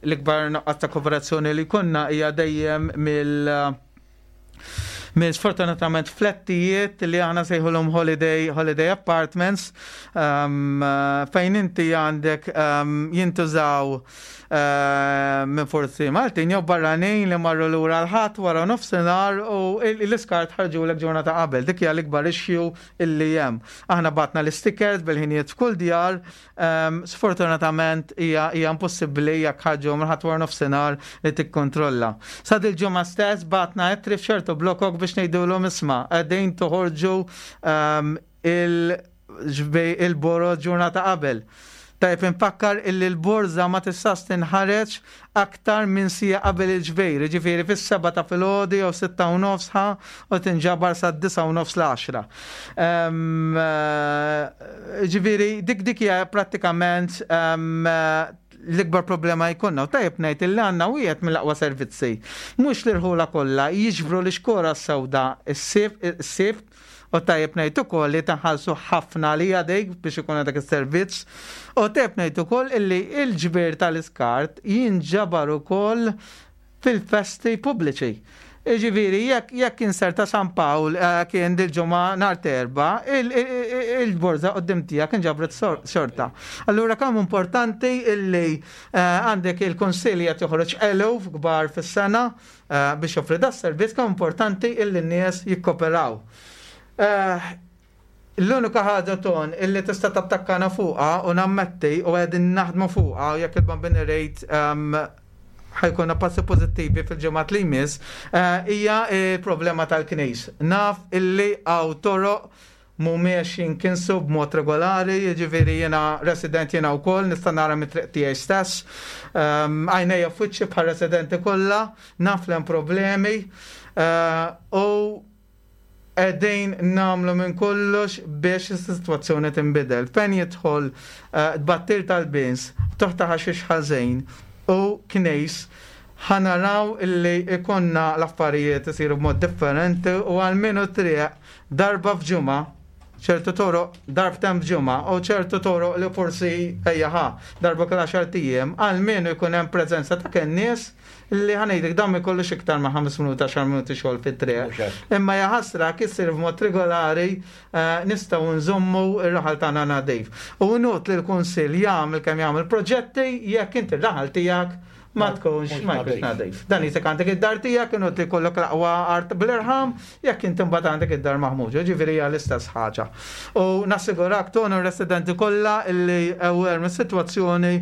l-ikbar nuqqas ta' kooperazzjoni li konna hija dejjem mill minn sfortunatament flettijiet li aħna sejħulhom holiday, holiday apartments um, fejn inti għandek um, jintużaw uh, minn forsi Maltin jew barranin li marru lura l-Ħadd wara nofsinhar u l-iskart ħarġu l ġurnata qabel. Dik hija l-ikbar issue illi hemm. Aħna batna l-stickers bil-ħinijiet f'kull djar, um, sfortunatament hija hija impossibbli jekk ħarġu mill-Ħadd wara nofsinhar li tikkontrolla. Sa dil-ġimgħa stess batna ittri f'ċertu blokok biex ngħidulhom isma' qegħdin toħorġu um, il- il-boroż ġurnata qabel. Tajb infakkar illi l-borza ma tistax tinħareġ aktar minn siegħa qabel il-ġbir, ġifieri fis-seba ta' filgħodu jew sitta u nofsha u tinġabar sa' disa u nofs l-għaxra. Ġifieri dik dik hija prattikament l-ikbar problema jkollna. U tajjeb ngħid illi għandna wieħed mill-aqwa servizzi. Mhux l-irħula kollha jiġbru l-ixkora sewda s-sibt u tajjeb ngħid ukoll li taħallsu ħafna li għadejk biex ikun dak is-servizz. U tajjeb ngħid ukoll illi il-ġbir tal-iskart jinġabar ukoll fil-festi pubbliċi. Ġifieri, jekk jekk inser ta' San Pawl eh, kien dil-ġimgħa nhar t'Erbgħa, il-borza quddiem tiegħek inġabret xorta. Allura kemm importanti illi eh, għandek il-konsilja qed joħroġ eluf kbar fis-sena eh, biex joffri da servizz, kemm importanti illi n-nies jikkoperaw. L-unika ħaġa ton illi tista' tattakkana fuqha u nammetti u qegħdin naħdmu fuqha u jekk il-Bambin irid ħa jkollna passi pożittivi fil-ġimgħat li jmiss, hija il-problema tal-knis. Naf illi hawn toroq mhumiex jinkinsu b'mod regolari, jiġifieri jiena resident jiena wkoll, nista' nara mit-triq tiegħi stess. Għajnejja f'wiċċi bħal residenti kollha, naf li hemm problemi u qegħdin nagħmlu minn kollox biex is-sitwazzjoni tinbidel. Fejn jidħol tbattil tal-bins, toħta ħaxix ħażin u knejs, ħa naraw illi ikonna l-affarijiet isiru b'mod differenti u għalmenu triq darba f'ġimgħa, ċertu toroq darbtejn f'ġimgħa u ċertu toroq li forsi ejja ħa darba kull għaxart ijiem, għalmenu jkun hemm preżenza ta' kennies li ħa ngħidlek dan ma jkollux iktar ma' ħames minuti għaxar minuti xogħol fit-triq. Imma jaħasra kissir b'mod regolari eh, nistgħu nżommu ir-raħal tagħna nadif. U not li l-Kunsill jagħmel kemm jagħmel proġetti jekk inti r-raħal tiegħek ma tkunx ma jkunx nadif. Dan jisek għandek id-dar tiegħek inut li jkollok l-aqwa art bl-irħam jekk inti mbagħad għandek id-dar maħmuġa, ġifieri hija l-istess ħaġa. U nassigurak tonu r-residenti kollha illi aware mis-sitwazzjoni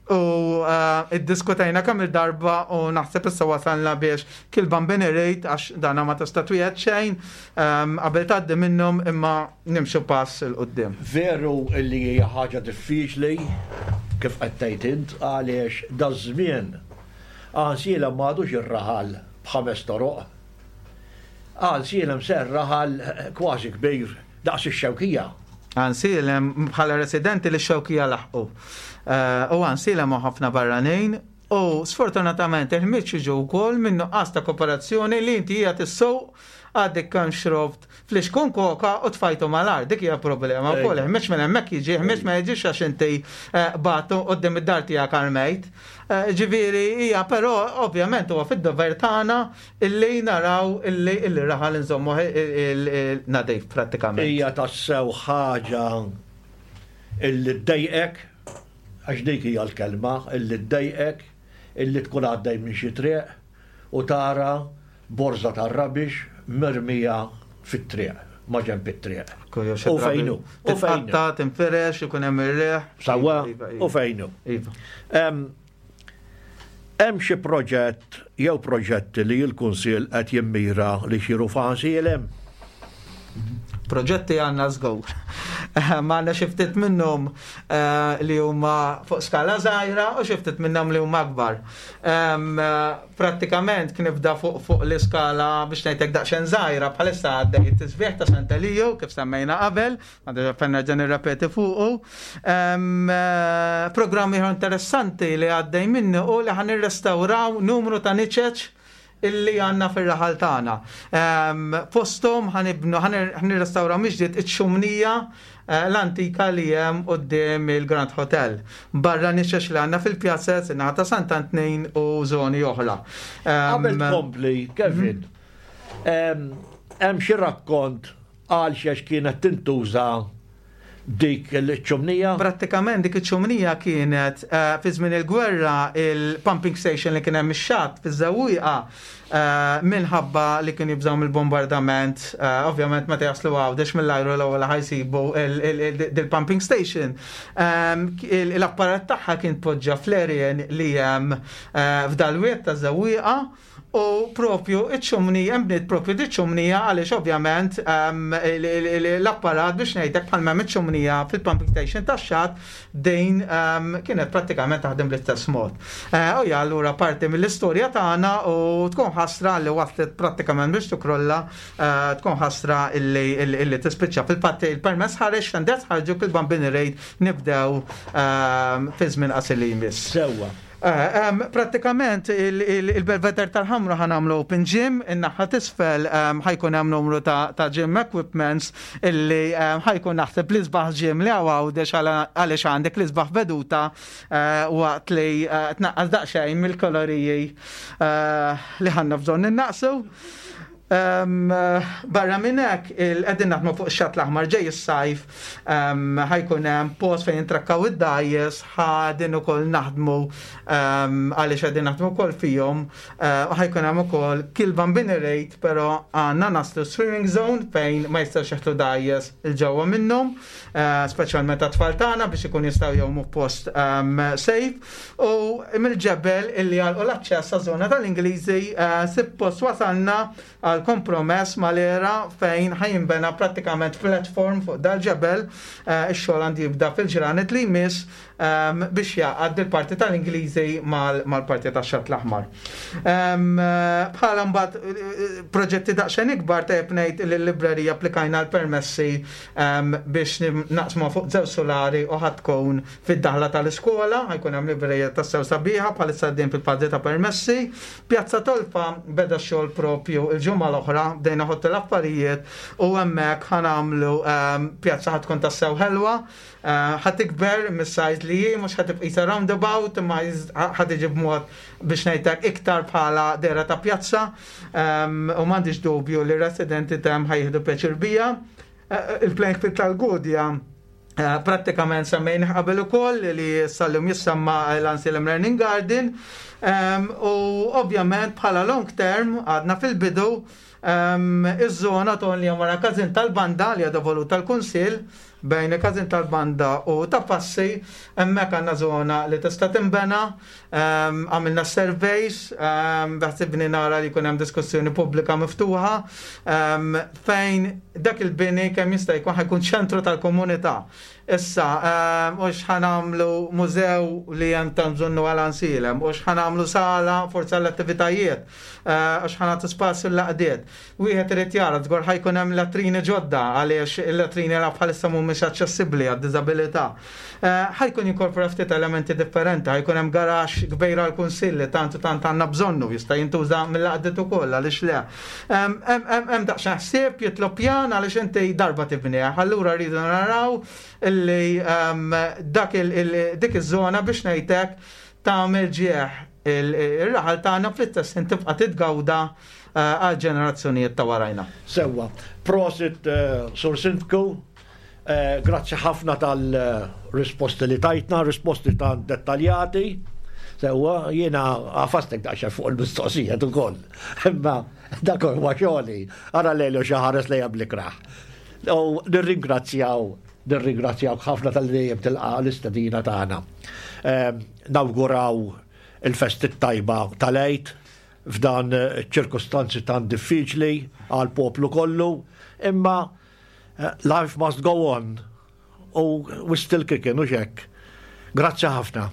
u eh, iddiskutejna kemm il-darba u naħseb issa wasalna biex kil-Bambin irid għax dana ma tista' twiegħed xejn ehm, qabel tgħaddi minnhom imma nimxu pass 'il quddiem. Veru illi hija ħaġa diffiċli kif qed tgħid int għaliex daż-żmien Għajnsielem m'għadux ir-raħal b'ħames toroq. Għajnsielem sar raħal kważi kbir daqs ix-Xewkija. Għajnsielem bħala residenti li x-Xewkija laħqu. Eh, U Għajnsielem ħafna barranin u sfortunatament il-ħmieġ jiġu wkoll minn nuqqas ta' kooperazzjoni li inti hija tissuq għadek kemm xrobt flixkun koka u tfajtu mal-art, dik hija problema wkoll. Ħmieġ minn hemmhekk jiġi, ħmieġ ma jiġix għax inti eh, batu quddiem id-dar tiegħek armejt. Eh, Ġifieri hija però ovvjament huwa fid-dover tagħna illi naraw illi illi raħal nżommu nadif prattikament. Hija tassew ħaġa illi ddejqek, għax dik hija l-kelma, illi ddejqek, illi tkun għaddej minn xi triq u tara borza tar-rubbish mirmija fit-triq, ma ġenb it-triq. U fejnu, u fejnu. Titqatta, tinfirex, ikun hemm ir-riħ. Sawa, Iva, iva. u fejnu. Iva. Em, Hemm xi proġett jew proġetti li l-Kunsill qed jimmira li jsiru f'Għajnsielem? Proġetti għandna żgur. Ma għandna xi ftit minnhom eh, li huma fuq skala żgħira u xi ftit minnhom li huma akbar. Em, eh, Prattikament kien nibda fuq fuq l-iskala biex ngħidlek daqsxejn żgħira bħalissa għaddej it-tisbieħ ta' Sant'Eliju kif semmejna qabel, għandha fejn nerġa' nirrepeti fuqu. Em, eh, Programm ieħor interessanti li għaddej minnu u li ħa nirrestawraw numru ta' niċeċ illi għandna fil-raħal tagħna. Em, Fosthom ħa nibnu ħa nirrestawraw mill-ġdid iċ-ċumnija eh, l-antika li hemm quddiem il-Grand Hotel. Barra niċeċ li għandna fil-pjazzez, in-naħa ta' Sant'Antnin u żoni oħra. Em, Qabel tkompli, Kevin, em, Hemm xi rakkont għal xiex kienet tintuża dik il-ċumnija? Prattikament dik iċ-ċumnija kienet eh, fi żmien il-gwerra, il-pumping station li kien hemm ix-xatt fiż-Żewwieqa, eh, minħabba li kien jibżgħu mill-bombardament, eh, ovvjament meta jaslu Għawdex mill-ajru l-ewwel ħa jsibu il-pumping station. L-apparat tagħha kien poġġa fl-erjen li hemm f'dal-wied ta' Żewwieqa u propju iċ-ċumnija, imbniet propju di ċumnija għaliex ovvjament l-apparat, biex ngħidlek, bħalma iċ-ċumnija fil-pumping station tax-xatt, din kienet prattikament taħdem bl-istess mod. Eh, u ja, allura parti mill-istorja tagħna u tkun ħasra li waslet prattikament biex tikrolla, eh, tkun ħasra illi tispiċċa. Fil-fatt il-permess ħareġ, tenders ħarġu, il-Bambini Raid nibdew fi żmien qasir li jmiss. Sewwa. Eh, prattikament il-Belvedere tal-Ħamra ħa nagħmlu open gym, in-naħa t'isfel ħa jkun hemm numru ta' gym equipments illi ħa jkun naħseb l-isbaħ gym li hawn Għawdex, għaliex għandek l-isbaħ veduta eh, waqt li eh, tnaqqas daqsxejn mill-kaloriji li għandna bżonn innaqsu. Barra minn hekk, qegħdin naħdmu fuq ix-Xatt l-Aħmar. Ġej is-sajf, ħa jkun hemm post fejn trakkaw id-dgħajjes, qegħdin ukoll naħdmu għaliex qegħdin naħdmu wkoll fihom, eh, u ħa jkun hemm ukoll kil-Bambini Raid, però għandna naslu swimming zone fejn ma jistax jeħlu dgħajjes 'il ġewwa minnhom, eh, speċjalment tat-tfal tagħna biex ikun jistgħu jgħumu post safe, u mill-ġebel illi għalqu l-aċċess għaż-żona tal-Ingliżi, eh, suppost wasalna għal kompromess mal-ERA fejn ħa jinbena prattikament platform fuq dal-ġebel. eh, ix-xogħol għandu jibda fil-ġranet li jmiss ehm, biex jgħaqqad il-parti tal-Ingliżi mal-parti tax-Xatt l-Aħmar. Ehm, bħala mbagħad eh, proġetti daqsxejn ikbar, tajjeb ngħid li l-librerija applikajna l-permessi ehm, biex naqsmu fuq żewġ solari u ħa tkun fid-daħla tal-iskola, ħa jkun hemm librerija tassew sabiħa, bħalissa din fil-fażi ta' permessi. Pjazza Tolfa beda xogħol propju il-ġimgħa l-oħra, bdejna ħottu l-affarijiet u hemmhekk ħa nagħmlu pjazza ħa tkun tassew ħelwa, eh, ħa tikber mis-size li hi, mhux ħa tibqa' roundabout, imma ħa tiġi b'mod, biex ngħidlek, iktar bħala dehra ta' pjazza u m'għandix dubju li residenti t'hemm ħa jieħdu pjaċir biha. Eh, il-playing field tal-Gudja eh, prattikament semmejna qabel ukoll li sal-lum jissemma l-Anselm Learning Garden, u ovvjament bħala long term għadna fil-bidu, iż-żona ton li wara każin tal-banda li għadha voluta tal-Kunsill, bejn il-każin tal-banda u Ta' Passi, hemmhekk għandna żona li tista' tinbena. Għamilna surveys, beħsibni nara li jkun hemm diskussjoni pubblika miftuħa fejn dak il-bini kemm jista' jkun ħa jkun ċentru tal-komunità. Issa, u ħa nagħmlu mużew li hemm ta' bżonnu għal Għajnsielem, u ħa nagħmlu sala forza l-attivitajiet, eh, u ħa nagħtu spazju l-għaqdiet. Wieħed irid jara, żgur ħa jkun hemm latrini ġodda għaliex il-latrini la bħalissa mhumiex aċċessibbli għad-diżabilità. Eh, ħa jkun jinkorpora ftit elementi differenti, ħa jkun hemm garaxx kbira l-kunsill li tant u tant għandna bżonnu, jista' jintuża mill-għaqdiet ukoll, għaliex le. Hemm daqsxejn ħsieb, jitlob pjan għaliex inti darba tibnieh. Allura rridu naraw illi dak dik iż-żona, biex ngħidlek, tagħmel ġieħ ir-raħal tagħna, fl-istess tibqa' titgawda eh, għal ġenerazzjonijiet ta' warajna. Sewwa, prosit, eh, Sur Sindku, eh, grazzi ħafna tal-risposti li tajtna, risposti ta' dettaljati. Sewwa, jiena għafastek daqsxejn fuq il-mistoqsijiet ukoll. Imma dak huwa xogħli, ara lejlu xi ħares lejja bl-ikrah. U nirringrazzjaw nirringrazzjaw ħafna tal-dejjem tilqa l-istedina tagħna. Nawguraw il-festi tajba tal-Għid f'dan ċirkustanzi tan diffiċli għal poplu kollu, imma eh, life must go on u we still kicking, u hekk. Grazzi ħafna.